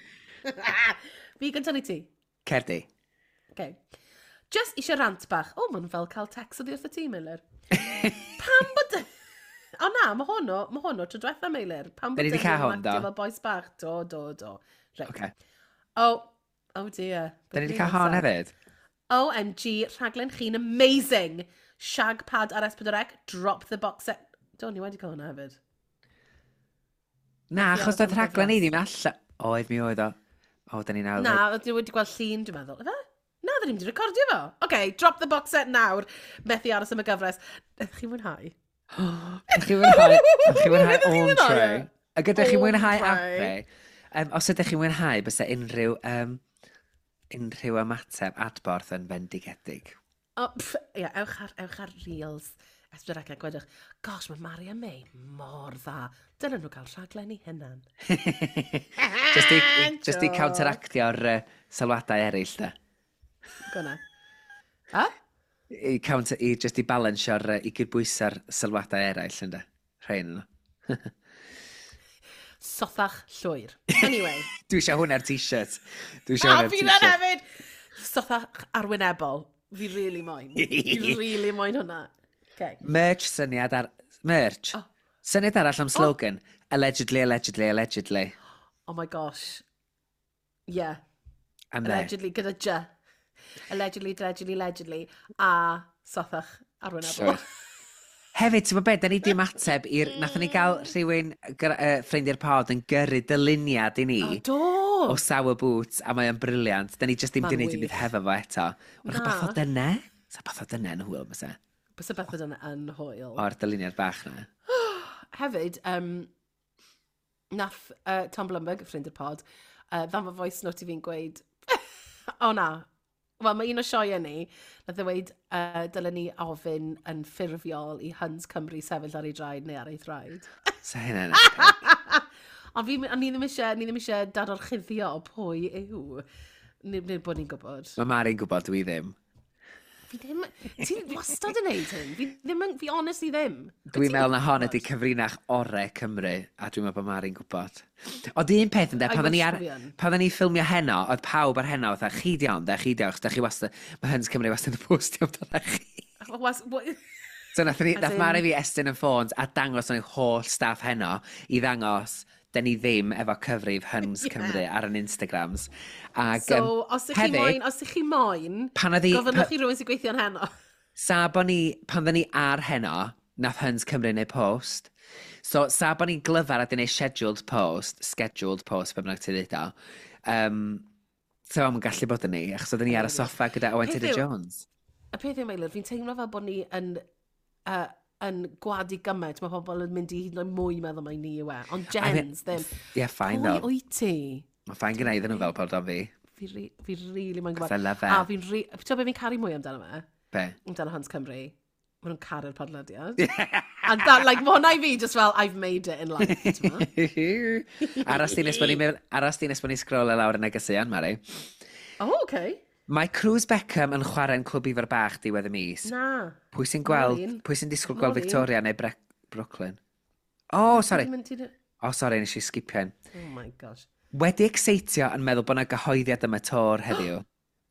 Fi gyntaf neu ti? Cer di. Okay. Just eisiau rant bach. O, mae'n fel cael text oddi wrth y tîm, Meilir. Pam bod... O na, mae hwn o, mae hwn o tro diwetha, Meilir. Pam Da bod ni 'di cael hwn, do? Fel bois bach. Do, do, do. Right. Okay. Oh, oh dear. Da ni wedi cael hon hefyd. O M G, rhaglen chi'n amazing. Shag pad ar S pedwar C, drop the box set. Do, ni wedi cael hwnna hefyd. Na, achos Ie, doedd rhaglen ni ddim allan. Oedd, mi oedd o. O, da ni nawr. Na, oedd ni wedi gweld llun, dwi'n meddwl. Ife? Na, dyn ni'n wedi recordio fo. OK, drop the box set nawr. Methu aros am y gyfres. Ydych chi'n mwynhau? Ydych chi'n mwynhau? Ydych chi'n mwynhau Ydych chi'n mwynhau Entree? e? Ac ydych chi'n mwynhau Entree. Ape? Um, os ydych chi'n mwynhau, bysa unrhyw, um, unrhyw ymateb adborth yn fendigedig. O, pff, ie, ewch ar, ewch ar Reels. S pedwar C a gwedwch, "Gosh, mae Mari a May mor dda. Dylen nhw gael rhaglen i hunan." Just i, just i counteractio'r uh, sylwadau eraill, da. Gwna. A? I, counter, i just i balansio'r, uh, i gydbwyso'r sylwadau eraill, ynddo. Rhain nhw. Sothach llwyr. Anyway. Dwi eisiau hwn ar t-shirt. Dwi eisiau A hwn ar fi t-shirt. hefyd! Sothach arwynebol. Fi really moyn. Fi really moyn hwnna. Okay. Merch syniad ar... Merch. Oh. Syniad arall am slogan. "Allegedly, allegedly, allegedly." Oh my gosh. Yeah. I'm there. Allegedly, gyda J. Allegedly, allegedly, allegedly. A sothach arwynebol. Llwyr. Hefyd, ti'n gwybod beth, da ni di ymateb i'r... Nathon ni gael rhywun, gyr- uh, ffrind i'r pod, yn gyrru dyluniad i ni O, do! O Sour Boots, a mae o'n brilliant. Da ni just ddim Ma'n di wneud dim byd wych. hefo fo eto. Wrach Na. beth o dyna? Sa beth o dyna yn hwyl, bysa? Bysa beth o dyna yn hwyl. O'r dyluniad bach na. Hefyd, um, nath uh, Tom Blumberg, ffrind i'r pod, uh, ddanfon voice note i fi'n gweud, o na, wel mae un o sioeau ni, nath e weud, uh, dylen ni ofyn yn ffurfiol i Huns Cymru sefyll ar ei draed neu ar ei thraed. Sa hynna'n epic. Ond fi, ond ni ddim eisiau, ni ddim eisiau dadorchuddio pwy yw. Nid, nid bod ni'n gwybod. Mae Mari'n gwybod, dwi ddim. Fi ddim, ti'n wastad yn neud hyn. Fi ddim yn, fi honestly ddim. Dwi'n meddwl na hon ydy cyfrinach ore Cymru, a dwi'n meddwl bod Mari'n gwybod. Ond un peth ynde, I pan oedden ni wish ar, bo fi yn. pan oedden ni ffilmio heno, oedd pawb ar heno, fatha, "Chi di iawn, de, chi di iawn, achos da chi wastad, mae Huns Cymru wastad yn postio amdano chi." Was, what, So nath, ni, As nath in- Mari fi estyn yn ffôns a dangos o'n holl staff heno i ddangos da ni ddim efo cyfrif Huns Ie. Cymru ar yn Instagrams. Ag, So, yym, os ych chi hefyd, moyn, os ych chi moyn, pan oedd hi- gofynnwch pa- i rhywun sy'n gweithio yn heno. Sa bo ni, pan oedden ni ar heno, nath Huns Cymru neud post. So, sa bo ni'n glyfar a di neud scheduled post, scheduled post, be bynnag ti ddeud o, um, so am gallu bod yn ni, achos oedden ni ar y soffa gyda Owen Peth Tudor yw- Jones. Y peth yw, Meilir, fi'n teimlo fel bod ni yn, uh, yn gwadu gymaint, mae pobl yn mynd i hyd yn oed mwy meddwl mai ni yw e. Ond Jens, ddim. Ie, yeah, fine Pwy though. wyt ti? Mae'n fine gyda iddyn nhw fel bod o'n fi. Fi, ri, fi really moyn gwybod. I love it. A fi'n ri... Ti'n gwybod be fi'n caru mwy amdano fe? Be? Amdano Huns Cymru? Maen nhw'n caru'r podlediad. And that, like, mae hwnna i fi just fel, "I've made it in life," t'mo'? Aros di nes bod ni'n aros di nes bod ni'n scrollio lawr y negeseuon, Mari. Oh, okay. Mae Cruz Beckham yn chwarae'n Clwb Ifor Bach diwedd y mis. Na. Pwy sy'n gweld, Maureen. pwy sy'n disgwyl gweld Maureen. Victoria neu Bre Brooklyn? Oh, sorry. Ti'n mynd- ti'n- Oh, sorry, nes i skipio un. Oh my gosh. Wedi exeitio yn meddwl bod yna gyhoeddiad am y tour heddiw.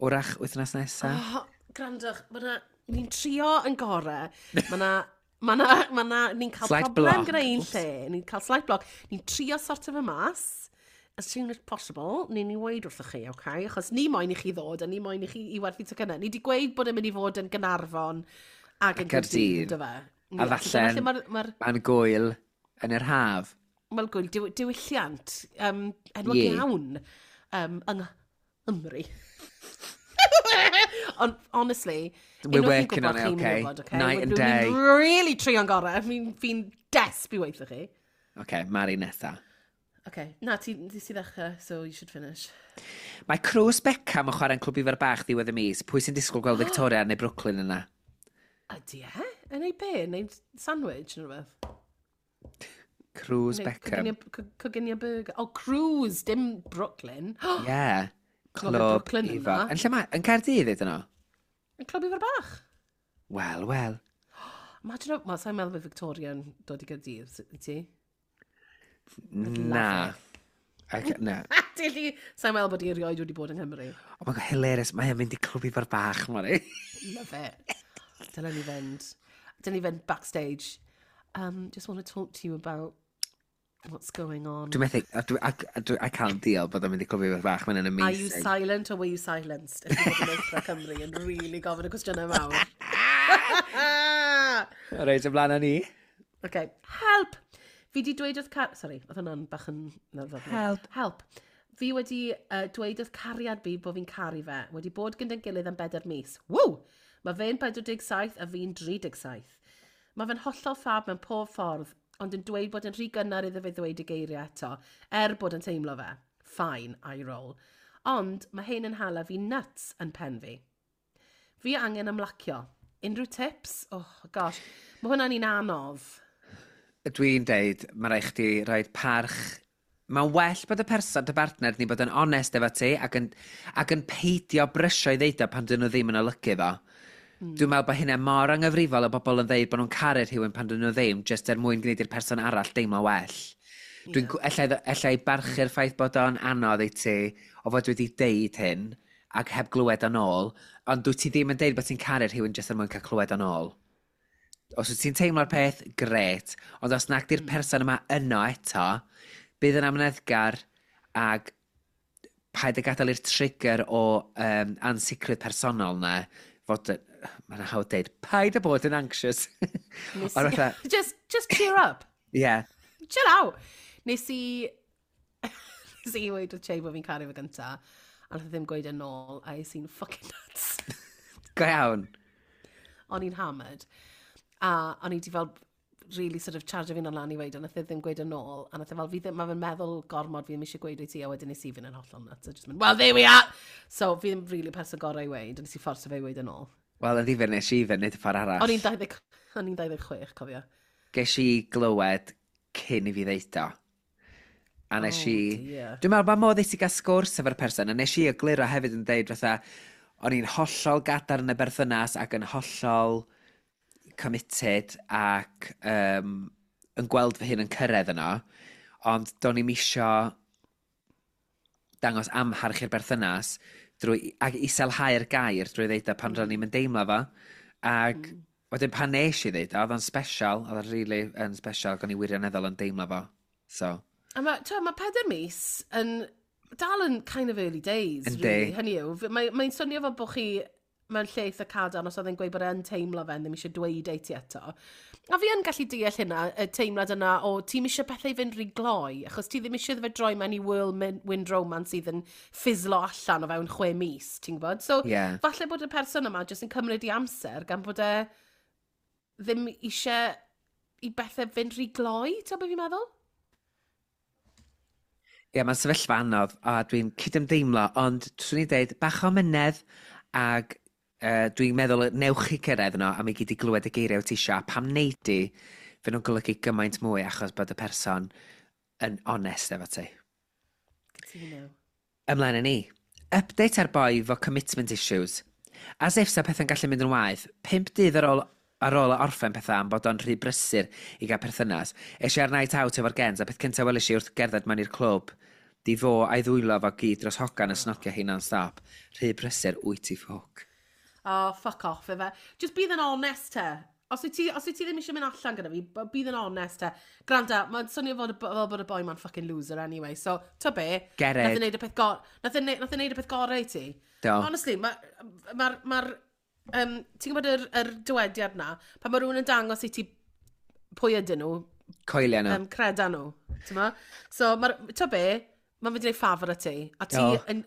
Wrach wythnos nesaf? Oh, grandwch, ma' 'na, ni'n trio yn gore. Mae na, ma na, ma na, ni'n cael Slight problem block. gyda un Oops. lle. Ni'n cael slight block. Ni'n trio sort of y mas. As soon as possible, ni'n ni weud wrthych chi, okay? Achos ni moyn i chi ddod a ni moyn i chi i werthu tocynnau. Ni wedi gweud bod e'n mynd i fod yn Gaernarfon ac yn Caerdydd. Caerdydd, do fe? A Ie, so dyna falle'n- lle ma'r- ma'r Mae'n gwyl yn yr haf. Wel, gwyl, diw, diwylliant, um, enwog Ie. iawn um, yng Nghymru. Ond, honestly, We're unwaith fi'n working gwybod on it, chi'n okay? gwybod, okay? Night and Dwi'n day. really trio'n gorau. Fi'n fi desp i weithio chi. Okay, Mari nesa. Okay. Na, ti, ti sydd ddechrau, so you should finish. Mae Crws Beckham yn chwarae'n Clwb Ifor Bach ddiwedd y mis. Pwy sy'n disgwyl gweld Victoria neu Brooklyn yna? Ydy e? Yn ei be? Yn ei sandwich neu rhywbeth? Cruz Neu Beckham. coginio- co- Coginio burger. Oh, Cruz, dim Brooklyn. Yeah. Clwb Clwb Brooklyn yna. Ifor. Yn lle mae? Yn Caerdydd ydyn nhw? Yn Clwb Ifor Bach. Wel, wel. Imagine, wel, sa'n meddwl bod Victoria yn dod i Gaerdydd, i ti? Na. Ac, na. Dilly, sa'n meddwl bod i erioed wedi bod yng Nghymru. Oh my God, hilarious. Mae e'n mynd i Clwb Ifor Bach, Mari. Love it. Dylen ni fynd. Dylen ni fynd backstage. Um, just want to talk to you about what's going on. Dwi'n methu, a dwi, I, dwi, I can't deal bod o'n mynd i Clwb Ifor Bach. Mae'n Are you amazing. silent or were you silenced? If you bod yn Oprah Cymru yn really gofyn y cwestiynau mawr. Reit, ymlaen â ni. Okay. Help! Fi di dweud wrth car... Sorry, oedd hwnna'n bach yn... no, lovely. Help. Help. Fi wedi uh, dweud wrth cariad fi bod fi'n caru fe. Wedi bod gyda'n gilydd am bedair mis. Ww! Mae fe'n pedwar deg saith a fi'n tri deg saith. Mae fe'n hollol ffab mewn pob ffordd, ond yn dweud bod yn rhy gynnar iddo fe ddweud y geiriau eto, er bod yn teimlo fe. Fine, I roll. Ond mae hyn yn hala fi nuts yn pen fi. Fi angen ymlacio. Unrhyw tips? Oh, gosh. Mae hwnna'n un anodd. Dwi'n deud, mae rhaid chdi rhoi parch. Mae'n well bod y person, dy bartner, ni bod yn onest efo ti ac yn, ac yn peidio brysio i ddeud o pan dyn nhw ddim yn olygu fo. Mm. Dwi'n meddwl bod hynna mor anghyfrifol o bobl yn ddeud bod nhw'n caru rhywun pan dyn nhw ddim, jyst er mwyn gwneud i'r person arall deimlo well. Dwi'n yeah. ella, ella i barchu'r ffaith bod o'n anodd i ti o fod wedi deud hyn ac heb glywed o'n ôl, ond dwyt ti ddim yn deud bod ti'n caru rhywun jyst er mwyn cael clywed o'n ôl. Os wyt ti'n teimlo'r peth, gret, ond os nag di'r person yma yno eto, bydd yn amyneddgar ag paid â gadael i'r trigger o um, ansicrwydd personol na fod, mae'n hawdd deud, paid â bod yn anxious. Nes Ond fatha, just, just cheer up. yeah, Chill out. Nes i... nes i weud wrth Che bod fi'n caru fe gynta, a nath e ddim gweud yn ôl, a es i'n fucking nuts. Go iawn. O'n i'n hammered. A o'n i di fel really sort of charge fi'n lan i weud, a nath e ddim gweud yn ôl. A nath e fel, fi ddim, mae fe'n meddwl gormod, fi ddim eisiau gweud i ti, a wedyn nes i fynd yn hollol nuts. A just mynd, "Well, there we are! So, fi ddim really person gorau i weud, a nes i fforso fe i weud yn ôl. Wel, yn ddifyr nes i fynd, nid y ffordd arall. O'n i'n dau ddeg o'n i'n dau ddeg chwech, cofio. Ges i glywed cyn i fi ddeud o. A nes Oh, i dear. Dwi'n meddwl bod modd i ti gael sgwrs efo'r person, a nes i egluro hefyd yn deud fatha, o'n i'n hollol gadarn yn y berthynas ac yn hollol committed ac um, yn gweld fy hun yn cyrraedd yno, ond do'n i'm isio dangos amharch i'r berthynas drwy, ac iselhau'r gair drwy ddeud o pan mm. ro'n i'm yn deimlo fo. Ac mm. wedyn pan nes i ddeud o, oedd o'n special, oedd o'n really yn special, ac o'n i wirioneddol yn deimlo fo. So, A mae, ma pedair mis yn dal yn kind of early days, Yndi. really. Hynny yw, f- mae- mae'n swnio fel bod chi mewn lle eitha cadarn os oedd e'n gweud bod e'n teimlo fe, ddim eisiau dweud ei ti eto. A fi yn gallu deall hynna, y teimlad yna o ti'n eisiau pethau i fynd rhy gloi, achos ti ddim eisiau iddo fe droi mewn i whirlwind romance sydd yn ffislo allan o fewn chwe mis, ti'n gwybod? So, Ie. falle bod y person yma jyst yn cymryd i amser gan bod e ddim eisiau i bethau fynd rhy gloi, ti'n gwybod beth fi'n meddwl? Ie, yeah, mae'n sefyllfa anodd, a dwi'n cydymdeimlo, ond swn i'n deud, bach o mynedd, ag uh, dwi'n meddwl newch chi cyrraedd yno, a mi gyd i glywed y geiriau wyt ti isio, a pam neud di, fe nhw'n golygu gymaint mwy achos bod y person yn onest efo ti. Cytuno. Ymlaen â ni. Update ar boi fo commitment issues. As if sa pethau'n gallu mynd yn waeth, pump dydd ar ôl, ar ôl orffen pethau am bod o'n rhy brysur i gael perthynas, es i ar night out efo'r gens, a peth cyntaf weles i wrth gerdded mewn i'r clwb, di fo a'i ddwylo fo gyd dros hogan yn snogio hi non-stop. Rhy brysur, wyt ti ffwc. Oh, fuck off efe. Just bydd yn honest te. Os wyt ti, os wyt ti ddim eisiau mynd allan gyda fi, b- bydd yn honest te. Granda, mae'n swnio fod, y bo- fel bod y boi ma'n fucking loser anyway. So, to be, Get nath it. e neud y peth go nath e neud, nath e neud y peth gorau i ti. Do. Honestly, mae'r... Ma, ma, um, ti'n gwybod yr, yr dywediad na, pan mae rhywun yn dangos i ti pwy ydyn nhw, Coelia nhw. Um, creda nhw. T'mo? So, mae'r, to be, mae'n mynd i wneud ffafr i ti. A ti, O. yn,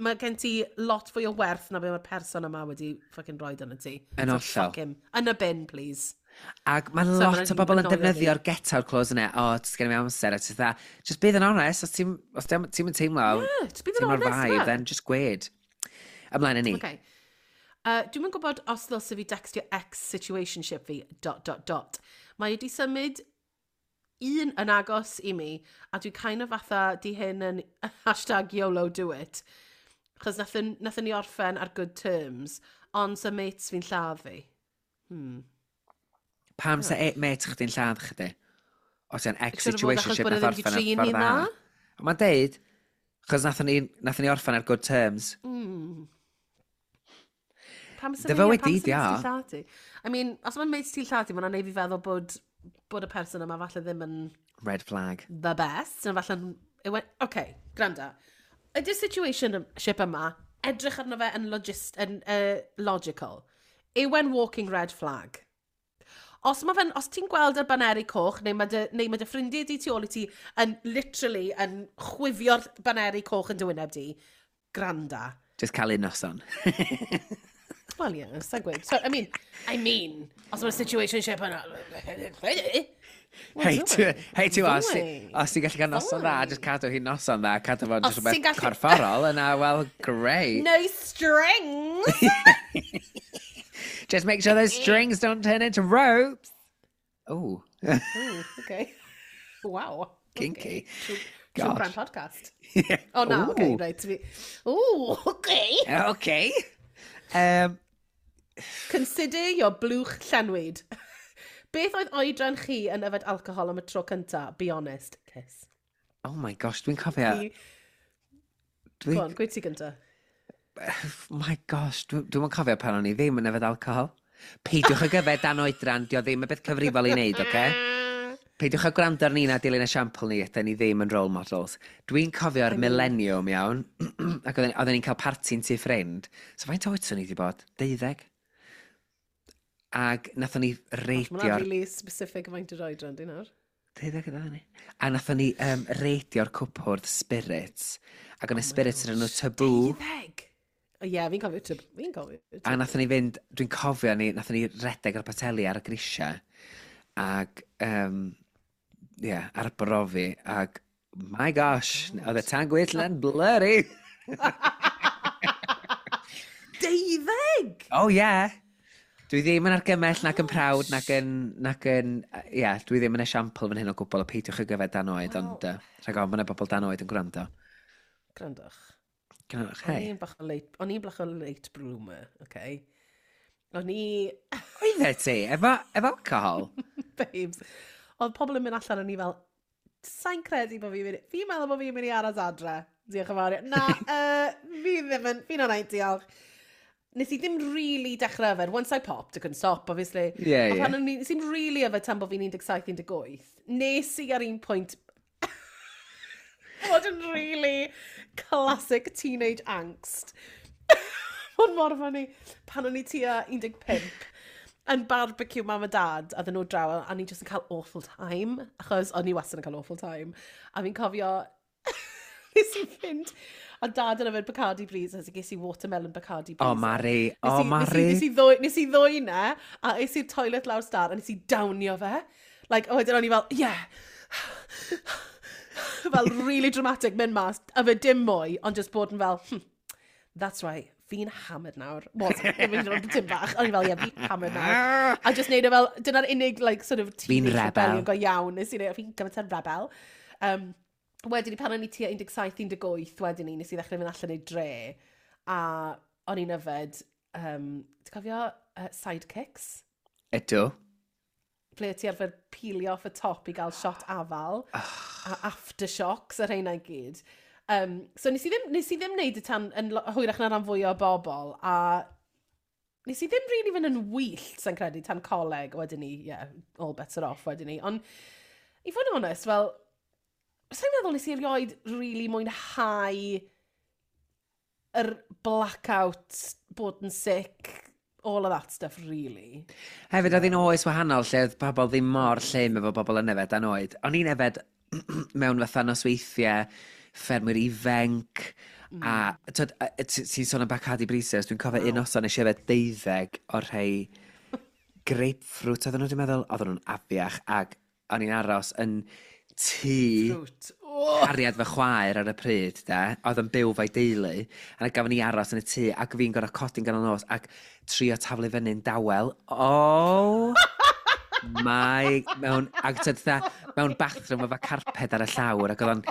mae gen ti lot fwy o werth na be mae'r person yma wedi fucking rhoi arno ti. Yn So, hollol. fuck him. Yn y bin, please. Ac mae So, lot ma'n o bobl yn annoio fi. defnyddio'r get out clause yna. O, oh, gen i amser. A ti'n dda, just bydd yn honest. Os ti'n os ti'n ti'n teimlo, Yeah, just bydd yn teimlo'r honest, vibe, yeah. then just gwed. Ymlaen â ni. Okay. Uh, Dwi'm yn gwybod os ddylse fi dextio ex-situationship fi, dot, dot, dot. Mae wedi symud un yn agos i mi, a dwi kind of fatha di hyn yn hashtag YOLO do it. Chos nathon, nathon ni orffen ar good terms, ond sa mates fi'n lladd fi. Pam sa e, mate chdi'n lladd chdi? Os ti'n Siŵr o fod achos ex-situationship bod e nath ddim 'di orffen ar trin ffordd hi'n dda. dda? Ond mae'n deud, chos nathon ni, nathon ni orffen ar good terms. Pam sa Dy ni- fywyd pam di, sa di o. mates ti'n lladd ti? I mean, os mae'n mates ti'n lladd ti, mae'n neud fi feddwl bod, bod y person yma falle ddim yn Red flag. the best. Na falle'n... Yw e- Okay, gwranda. Ydy'r situationship yma, edrych arno fe yn, logist, yn uh, logical. Yw e'n walking red flag? Os, ma fe'n, os ti'n gweld y baneri coch, neu mae dy, neu mae dy ffrindiau di tu ôl i ti yn literally yn chwifio'r baneri coch yn dy wyneb di, gwranda. Just cael un noson. Well, yeah, sa'n gweud. So, I mean, I mean, os mae'r situationship yna... Hei, ti, hei, ti, os ti- Fine. os ti'n gallu cael noson dda, just cadw hi'n noson dda, cadw fo'n Os just rhywbeth ti'n gallu- corfforol, yna, well, great. No strings! Just make sure those strings don't turn into ropes. Oh, Ooh, okay. Wow. Kinky. Okay. True, true Gosh. crime podcast. Oh, no, okay, Ooh. right. Ooh, okay. Okay. Um, Consider your blwch llenwyd. Beth oedd oedran chi yn yfed alcohol am y tro cynta? Be honest. Kiss. Oh my gosh, dwi'n cofio. Fi- Dwi, Go on, gweud ti gynta. My gosh, dwi'n dwi cofio pan o'n i ddim yn yfed alcohol. Peidiwch ag yfed dan oedran, dio ddim y beth cyfrifol i wneud, oce? Peidiwch â gwrando ar ni na dilyn esiampl ni, ydyn ni ddim yn role models. Dwi'n cofio'r millennium iawn, ac oedden oedden ni'n cael parti'n tŷ ffrind. So faint oed swn i wedi bod? Deuddeg? Ac nathon ni Mae reidio'r really specific faint o'r oedran, di nawr. Deuddeg ydyn ni. A nathon ni um, reidio'r cwpwrdd spirits. Ac o'n y spirits yn enw Taboo. Deuddeg? O ie, fi'n cofio tab- Fi'n cofio. A nathon ni fynd, dwi'n cofio ni, nathon ni redeg ar y poteli ar y grisiau. Ac, um, yeah, arbrofi. Ac, my gosh, oedd y tân gwyllt yn blurry. Deuddeg! Oh yeah. Dwi ddim yn argymell nac yn proud nac yn, nac yn, ie, yeah, dwi ddim yn esiampl fan hyn o gwbl o peidiwch ag yfed dan oed, Wel- ond uh, rhag ofn bod yna bobl dan oed yn gwrando. Gwrandwch. Gwrandwch, O'n hei. i'n bach o late, o'n i'n bach o late bloomer, okay? O'n i, Oeddet ti, efo, efo alcohol? Babes, oedd pobl yn mynd allan o'n i fel, sa'n credu bod fi'n mynd, fi'n meddwl bod fi'n mynd i aros adre. Diolch yn fawr. Na, uh, fi ddim yn, fi'n alright, diolch. Nes i ddim really dechrau yfed. Once I popped, I couldn't stop, obviously. Ie, Ond ie. pan o'n i, nes i'm really yfed tan bod fi'n un deg saith, un deg wyth, nes i ar un pwynt fod yn really classic teenage angst. Mae'n mor funny. Pan o'n i tua un deg pump, yn barbecue mam a dad, a ddyn nhw draw, a ni just yn cael awful time, achos o'n i wastad yn cael awful time. A fi'n cofio, nes i fynd, a dad yn yfed Bacardi Breezers, a ges i watermelon Bacardi Breezer. O, Mari, Nes o, i- Mari. Nes i, nes i ddwy, nes i ddwy na, a es i'r toilet lawr star, a nes i downio fe. Like, a wedyn o'n i fel, "Yeah." Fel really dramatic mynd mas, a fe dim mwy, ond just bod yn fel, hmm, that's right, fi'n hammered nawr." Wasn't, ddim yn mynd dim bach. O'n i fel, "Yeah, fi'n hammered nawr." A just neud e fel, dyna'r unig, like, sort of teenage rebel. Rebellion go iawn. Nes i neud, fi'n gymaint yn rebel. Um, wedyn ni, pan o'n i tua un deg saith, un deg wyth, wedyn ni, nes i ddechrau fynd allan i dre. A o'n i'n yfed, um, ti'n cofio uh, Sidekicks? Ydw. Ble ti arfer peelio off y top i gael shot afal, a aftershocks a rheina i gyd. Um, so nes i ddim, nes i ddim neud y tan yn lo- hwyrach na ran fwy o bobl, a nes i ddim really fynd yn wyllt, sa'n credu, tan coleg, wedyn ni, yeah, all bets are off wedyn ni. Ond, i fod yn onest, fel, sa'n meddwl nes i erioed really mwynhau yr blackout, bod yn sick, all of that stuff, really. Hefyd, oedd hi'n oes wahanol lle oedd pobl ddim mor llym efo bobl yn yfed dan oed. O'n i'n yfed mewn fatha nosweithiau, ffermwyr ifanc, mm. a twyd, a- ti- ti'n sôn am Bacardi Breezers, dwi'n cofio un noson nes i yfed deuddeg o'r rhai grapefruit, oedden nhw wedi meddwl, oedden nhw'n afiach, ac o'n i'n aros yn tŷ Fruit. Oh! cariad fy chwaer ar y pryd, de, oedd yn byw fo'i deulu, a gafon ni aros yn y tŷ, ac fi'n gorfod codi'n ganol nos, ac trio taflu fyny'n dawel. Oh! My, mewn, ac tyd, fatha, mewn bathroom efo carped ar y llawr, ac oedd o'n...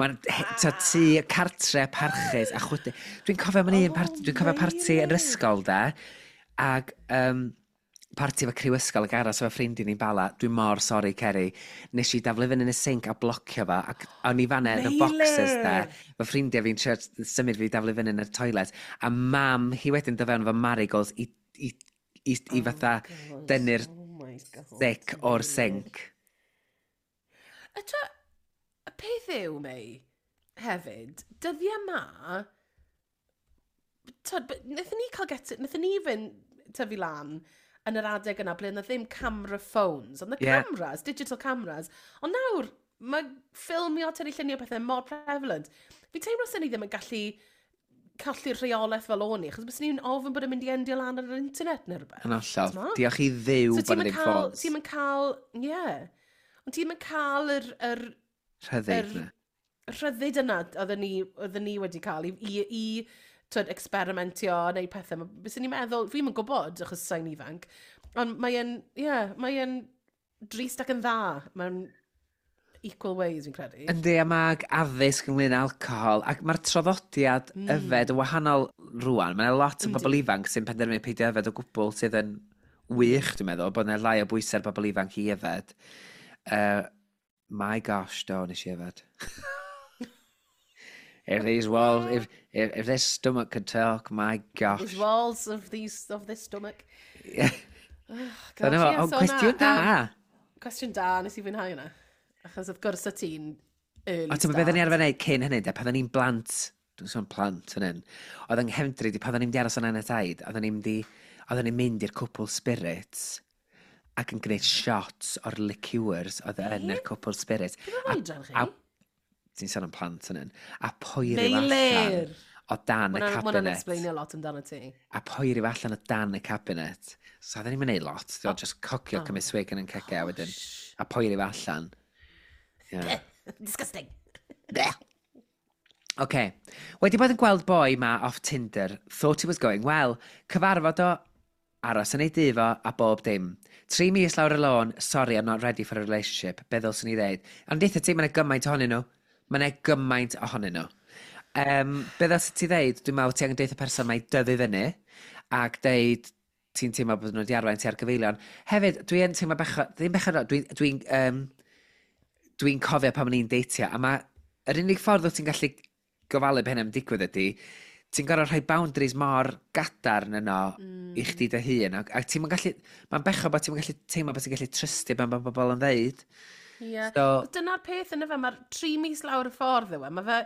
Mae'n tŷ tŷ cartre parchus a chwydu. Dwi'n cofio mewn un parti, dwi'n cofio parti yn yr ysgol, de, ac um, parti efo criw ysgol ac aros efo ffrindiau ni'n Bala. Dwi'n mor sori, Ceri. Nes i daflu fyny yn y sink a blocio fo, ac o'n i fanna yn y boxers, de. Fy ffrindiau fi'n trio symud fi daflu fyny yn y toilet. A mam hi wedyn dod fewn efo marigolds i, i, i, i fatha dynnu'r Oh my God. thick o'r sink. Y tro, y peth yw, Mei, hefyd, dyddiau ma, tyd, but wnaethon ni cael get, wnaethon ni fynd tyfu lan yn yr adeg yna ble yna ddim camera phones, ond the Ie. cameras, digital cameras. Ond nawr, mae ffilmio, tynnu lluniau pethau mor prevalent. Fi'n teimlo sy'n ni ddim yn gallu colli'r rheolaeth fel o'n i, achos bys ni'n ofyn bod yn mynd i endio lan ar yr internet neu rhywbeth. Yn hollol. T'mo? Diolch i Dduw So bod ti'n yna ddim cael, ffôns. ti'n cael, ie. Yeah. Ond ti'n cael yr, yr, Rhyddid. yr- na. rhyddid yna oedden ni, oedden ni wedi cael i, i, i twyd, experimentio a neud pethau. Ma- Byswn ni'n meddwl, fi'n yn gwybod, achos sa'n ifanc, ond mae'n, ie, yeah, mae'n drist ac yn dda. Mae'n equal ways, fi'n credu. Yndi, a mae addysg ynglyn â alcohol, ac mae'r traddodiad mm. yfed yn wahanol rwan. Mae'n lot o bobl ifanc sy'n penderfynu peidio yfed o gwbl sydd yn wych, dwi'n meddwl, bod yna lai o bwysau ar bobl ifanc i yfed. Uh, my gosh, do, nes i yfed. If these walls, if, if, if this stomach could talk, my gosh. These walls of, these, of this stomach. Yeah. Oh, Dyna fo, gosh, ie, ond so cwestiwn na, da. yym, Cwestiwn da, nes i fwynhau hwnna. Achos wrth gwrs o ti'n early Ond ti'n beth o'n i arfer wneud cyn hynny, de, pan o'n i'n blant, dwi'n sôn plant yn hyn, oedd yng nghefndri, di pan o'n i'n mynd i aros yn nain a taid, oedden ni'n mynd i, oedden ni'n mynd i'r cwpl spirits ac yn gwneud shots o'r liqueurs oedd yn yr cwpl spirits. Beth oedran chi? A, ti'n sôn am plant yn hyn, a poeri fo allan Meilir! o dan y Ma' hwnna'n cabinet. explainio lot amdano ti. A poeri fo allan o dan y cabinet. So oedden ni'n mynd lot, oh. Just cocio oh. Cymryd swig yn yn cegau a wedyn, a poeri fo allan. Yeah. Disgusting. OK. Wedi bod yn gweld boi ma off Tinder. Thought he was going well. Cyfarfod o, aros yn ei dŷ fo a bob dim. Tri mis lawr y lôn, "Sorry, I'm not ready for a relationship." Be ddylswn i ddeud? Ond deutha ti, mae'n gymaint ohonyn nhw. Mae'n gymaint ohonyn nhw. Um, be ddylswn ti ddeud? Dwi'n meddwl ti angen deutha person mae dyfu fyny ac deud ti'n teimlo bod nhw wedi arwain ti ar gyfeilion. Hefyd, dwi yn teimlo bechod, ddim bechod, dwi'n dwi um, dwi'n cofio pan o'n i'n deitio, a mae yr unig ffordd wyt ti'n gallu gofalu be hynny'n digwydd ydy, ti'n gorfod rhoi boundaries mor gadarn yno mm. i chdi dy hun, ac, ac ti'n gallu, mae'n bechod bod ti'n gallu teimlo bod ti'n gallu trystio ban bod bobl yn ddeud. Ie. Yeah. So, Dyna'r peth yna fe, mae'r tri mis lawr y ffordd yw e. Mae fe,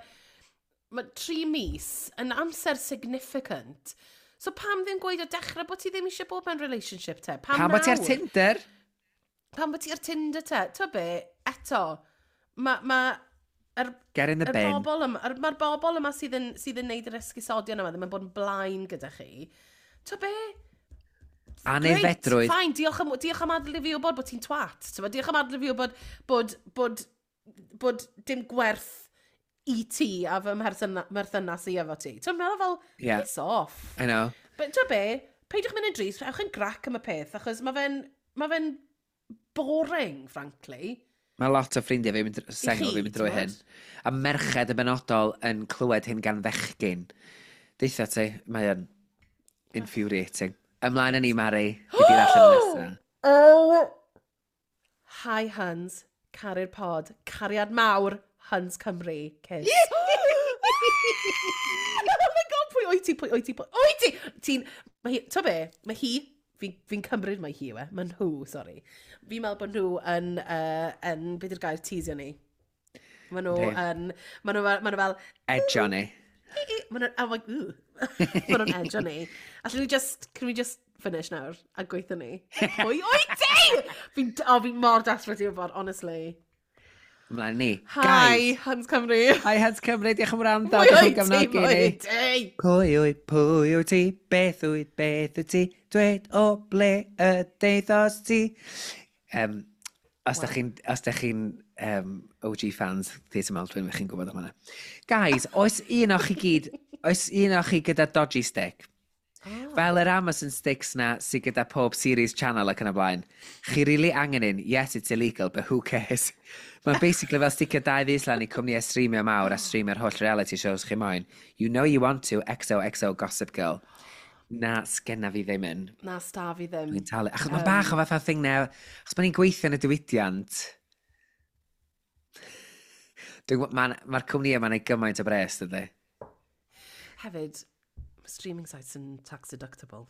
mae tri mis yn amser significant. So pam ddim gweud o dechrau bod ti ddim eisiau bod mewn relationship te? Pam, pam bod ti ar nawr? Tinder? Pam bod ti ar Tinder te? Ti'n be, eto, mae ma, yr, Get in the yr bin. bobl yma, yr, mae'r bobl yma sydd yn, sydd yn neud yr esgusodion yma ddim yn bod yn blaen gyda chi. Ti'n be? Aeddfedrwydd. Fine, diolch am, diolch am adael i fi wybod bod ti'n twat. T'mo', diolch am adael i fi wybod bod, bod, bod dim gwerth i ti a fy mherthyna, mherthynas i efo ti. Ti'n meddwl fel, Yeah. piss off. I know. But ti'n be, peidiwch mynd yn drist, ewch yn grac am y peth, achos mae fe'n ma fe'n boring, frankly. Mae lot o ffrindiau fi mynd, sengl chi, fi'n mynd drwy t'mod? hyn. A merched yn benodol yn clywed hyn gan fechgyn. Deitha ti, mae yn infuriating. Ymlaen â ni, Mari. Fi di'r allan nesaf. Oh! Hi, Huns. Caru'r pod. Cariad mawr. Huns Cymru. Kiss. Oh my God, pwy wyt ti, pwy wyt ti, pwy wyt ti? Ti'n, mae hi, ti'n be, mae hi, fi'n fi cymryd mai hi yw e, mae nhw, sori. Fi'n meddwl bod nhw yn, uh, yn, beth yw'r gair, teasio ni. Mae nhw Yndi. yn, mae nhw, ma nhw fel, Edge ni. mae nhw, oh my, ooh, Maen nhw'n edge ni. Allwn ni just, can we just finish nawr a gweithio ni? Pwy wyt ti? Fi'n, oh, fi'n mor desperate i wybod, honestly. Ymlaen ni. Hi, Guys. Hans Cymru. Hi, Hans Cymru, diolch am wrando. Pwy Diolch am wyt ti? gefnogi Pwy ni. wyt ti? Pwy wyt, pwy wyt ti, beth wyt, beth wyt ti, dweud o ble y deithos ti. Um, os da chi'n os da chi'n um, O G fans Theatr Maldwyn, chi'n gwybod am hwnna. Guys, oes un o chi gyd, oes un o chi gyda dodgy stick? Oh. Fel yr Amazon sticks na sydd gyda pob series channel ac yn y blaen. Chi really angen un? Yes, it's illegal, but who cares? Mae'n basically fel sticio dau fus lan i cwmnïau streamio mawr a streamio'r holl reality shows chi moyn. You know you want to, X O X O Gossip Girl. Na, sgenna fi ddim yn. Na, sta fi ddim. Dwi'n talu. Achos mae'n bach o fatha thing now. Achos ma'n ni'n gweithio yn y diwydiant. Dwi'n gwbod- Mae'r ma cwmnïau ma'n neud gymaint o bres, dydy. Hefyd, mae streaming sites yn tax deductible.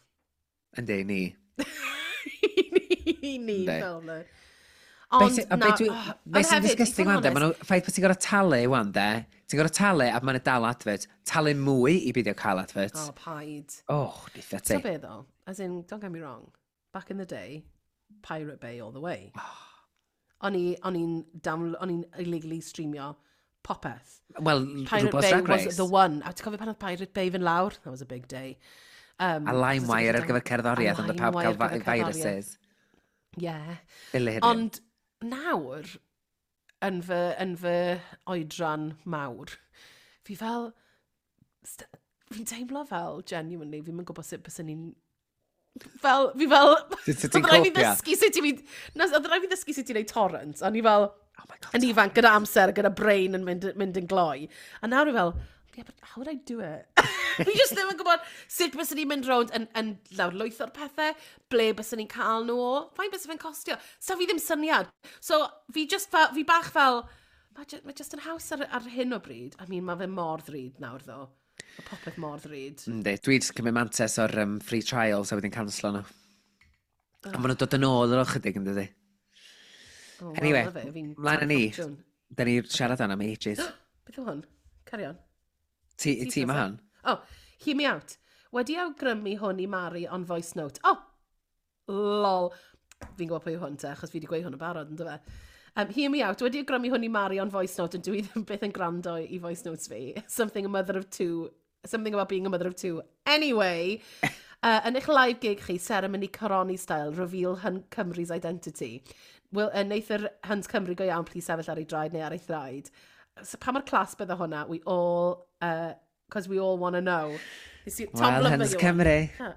Yndi, ni. Ni, ni, Yndi. fel na. Be Ond, sy- a na, be dwi- oh, be ond sy'n hefyd, i disgusting fod yn wan de, ma' honest, nhw, ffaith bod ti'n gorfod talu wan de, ti'n gorfod talu a ma'n dal advert, talu mwy i beidio cael advert. Oh, paid. Oh, ditha ti. So be though, as in, don't get me wrong, back in the day, Pirate Bay all the way. O'n i, o'n i'n down, o'n i'n illegally streamio popeth. Wel, Pirate RuPaul's Bay Drag was Race. the one. A ti'n cofio pan oedd Pirate Bay fynd lawr? That was a big day. Um, A LimeWire ar gyfer cerddoriaeth, ond y pawb cael LimeWire ar gyfer cerddoriaeth. viruses. Yeah. Hilarious. Ond nawr, yn fy, yn fy oedran mawr, fi fel, st- fi'n teimlo fel, genuinely, fi'n yn gwybod sut byswn ni'n fel, fi fel, Sut ti'n oedd rhaid fi copio? ddysgu sut i fi, na, oedd rhaid fi ddysgu sut i wneud torrent, a ni fel, Oh my God. yn ifanc, gyda amser, gyda brain yn mynd, mynd yn gloi. A nawr fi fel, yeah, but how would I do it? Fi just ddim yn gwybod sut byswn ni'n mynd rownd yn, yn lawrlwytho'r pethau, ble byswn ni'n cael nhw o, faint bys fe'n costio. So fi ddim syniad. So fi just fel, fi bach fel, mae ju, ma just yn haws ar, ar hyn o bryd. I mean, mae fe mor ddrud nawr ddo. Mae popeth mor ddrud. Yndi, dwi jyst cymryd mantais o'r um, free trials a wedyn canslo nhw. A maen nhw'n dod yn ôl ar ôl chydig yn dydi. Oh, well, Anyway, na fe, fi'n mlaen â ni. ffortiwn. Da ni siarad am ages. Beth yw hwn? Carry on. Ti, ti ma hon? Oh, hear me out. Wedi awgrymu hwn i Mari on voice note. Oh, lol. Fi'n gwybod pwy yw hwn te, achos fi wedi gweud hwn yn barod, yn fe? Um, hear me out. Wedi awgrymu hwn i Mari on voice note, ond dwi ddim byth yn gwrando i voice notes fi. Something a mother of two. Something about being a mother of two. Anyway, uh, yn eich live gig chi, ceremony coroni style, reveal Hun Cymru's identity. Will, uh, neith yr Huns Cymru go iawn, please sefyll ar ei draed neu ar ei thraed. So, pa mor class bydde hwnna? We all, because we all want to know. You see, Tom Wel, Blumberg Huns yw e. Cymru. Ha.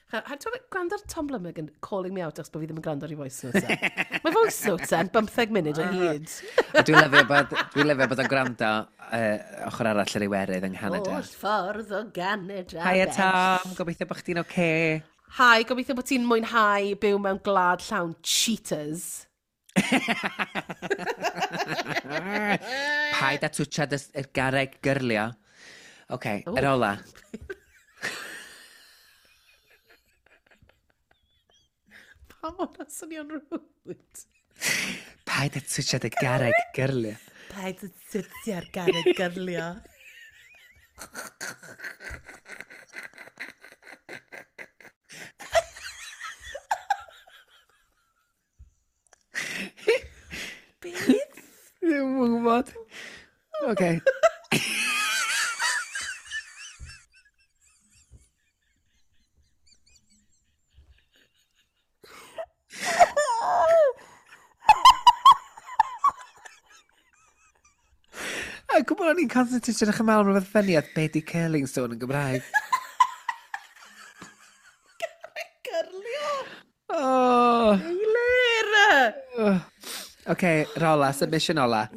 Ha, ha, Ti'n gwrando ar Tom Blumberg yn calling me out achos bod fi ddim yn gwrando ar ei voice notes e. Mae voice notes e'n bymtheg munud o hyd. A dwi'n lyfio bod, dwi'n lyfio bod o'n gwrando uh, ochr arall yr Iwerydd yng Nghanada. Holl ffordd o Ganada. Hiya Ben. Tom, gobeithio bod chdi'n oce. Hi, gobeithio bod ti'n mwynhau byw mewn gwlad llawn cheaters. Paid a twtsiad y y garreg gyrlio. Oce, okay, yr ola. Pam hwnna swnio'n rude? Paid a twtsiad y garreg gyrlio. Paid a twtsiad garreg gyrlio. Beth? Ddim yn gwybod. Oce. A gwybod o'n i'n concentrate yn eich meddwl am rhywbeth funny at be di curling stone yn Gymraeg. Gyrlio! Oh. Eilir! Oce, rola, submission ola.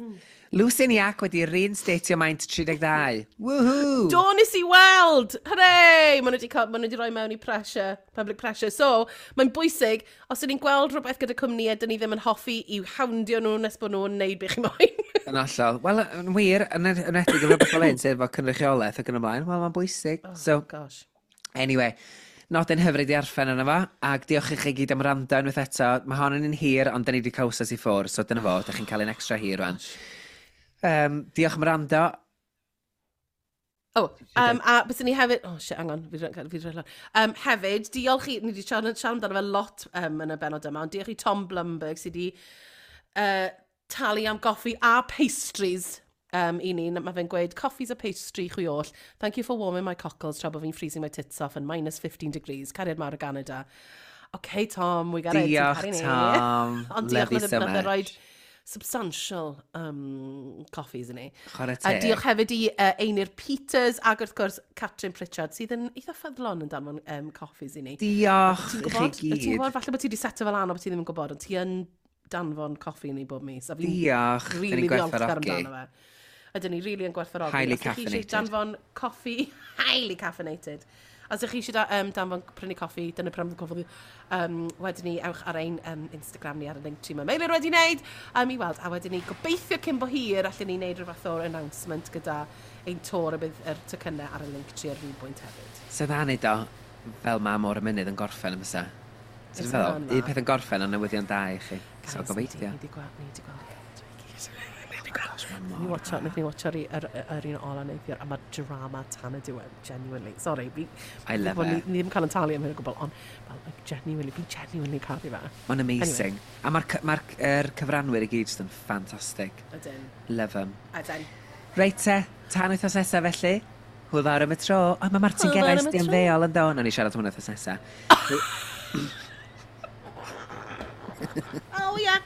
Lucy Niac wedi reinstatio maint tri deg dau. Woohoo! Do, nes i weld! Hooray! Maen nhw wedi cael, maen nhw wedi rhoi mewn i pressure, public pressure. So, mae'n bwysig, os ydyn ni'n gweld rhywbeth gyda cwmnïau dyn ni ddim yn hoffi, i'w houndio nhw nes bod nhw'n neud beth chi moyn. Yn hollol. Wel, yn wir, yn yn enwedig efo rhywbeth fel hyn, sef efo cynrychiolaeth ac yn ymlaen, wel, mae'n bwysig. Oh, So, gosh. Anyway, nodyn hyfryd i arffen yna fo, ac diolch i chi gyd am wrando unwaith eto. Mae hon yn un hir, ond da ni wedi cael wsos i ffwrdd, so dyna fo, da chi'n cael un extra hir rwan. Um, diolch am wrando. Oh, um, a bys ni hefyd... Oh, shit, hang on, fi fi rhaid. Um, hefyd, diolch i... Ni wedi siarad, siarad amdano fe lot um, yn y benod yma, ond diolch i Tom Blumberg sydd wedi uh, talu am goffi a pastries um, i ni. Mae fe'n gweud, "Coffees a pastry chwi oll. Thank you for warming my cockles tra bod fi'n freezing my tits off in minus fifteen degrees. Cariad mawr o Canada." OK, Tom, we got it. Ti'n Diolch, caru ni. Tom. Ond diolch, Love you nath so e- nath e much. roid substantial um, coffees i ni. Chwarae A teg. diolch hefyd i uh, Einir Peters ac wrth gwrs Catrin Pritchard sydd yn eitha ffyddlon yn danfon um, coffees i ni. Diolch Ti'n i chi gwybod? Ti'n gyd. gwybod? Falle bod ti wedi seto fel an o bod ti ddim yn gwybod, ond ti yn danfon coffi i ni bob mis. A fi'n Diolch. Da really ni'n ddiolchgar gwerthfawrogi. amdano fe. Ydyn ni really yn gwerthfawrogi. Highly Os ydych chi eisiau caffeinated. danfon coffi, highly caffeinated. Os ydych chi eisiau da, um, danfon prynu coffi, dyna pam coffi, um, wedyn ni ewch ar ein um, Instagram ni ar y link tree mae Meilir wedi wneud, um, i weld. A wedyn ni gobeithio cyn bo hir allan ni wneud rhyw fath o'r announcement gyda ein tour y bydd yr tocynnau ar y link tree ar rhyw bwynt hefyd. So dda neud o fel ma Môr y Mynydd yn gorffen y fysa. So Fysa dwi'n feddwl, hwnna. un peth yn gorffen ond newyddion da i chi. So Guys, gobeithio. Ni di gweld, ni di gweld. Gosh, ma' Ni mor watcho, wnaethon ni watcho'r yr, yr un ola neithiwr, a mae drama tan y diwedd, genuinely. Sorry, fi, I love bod ni, it. ni ddim cael yn talu am hyn o gwbl, ond, well, like, genuinely, fi genuinely caru fe. Mae'n amazing. A mae'r ma er cyfranwyr i gyd jyst yn ffantastig. Ydyn. Love them. Ydyn. Reit te, tan wythnos nesaf felly. Hwyl fawr am y tro. O, mae Martin Hwyl fawr Geraint am y di tro. ymddeol yn do. Nawn ni siarad hwnna wythnos nesaf. Oh, yeah.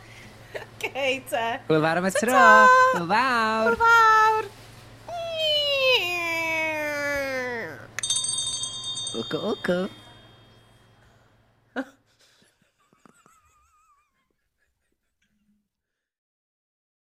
Okay, te. Hwyl fawr am y tro. Ta-ta! Hwyl fawr. Hwyl fawr. Wco, wco.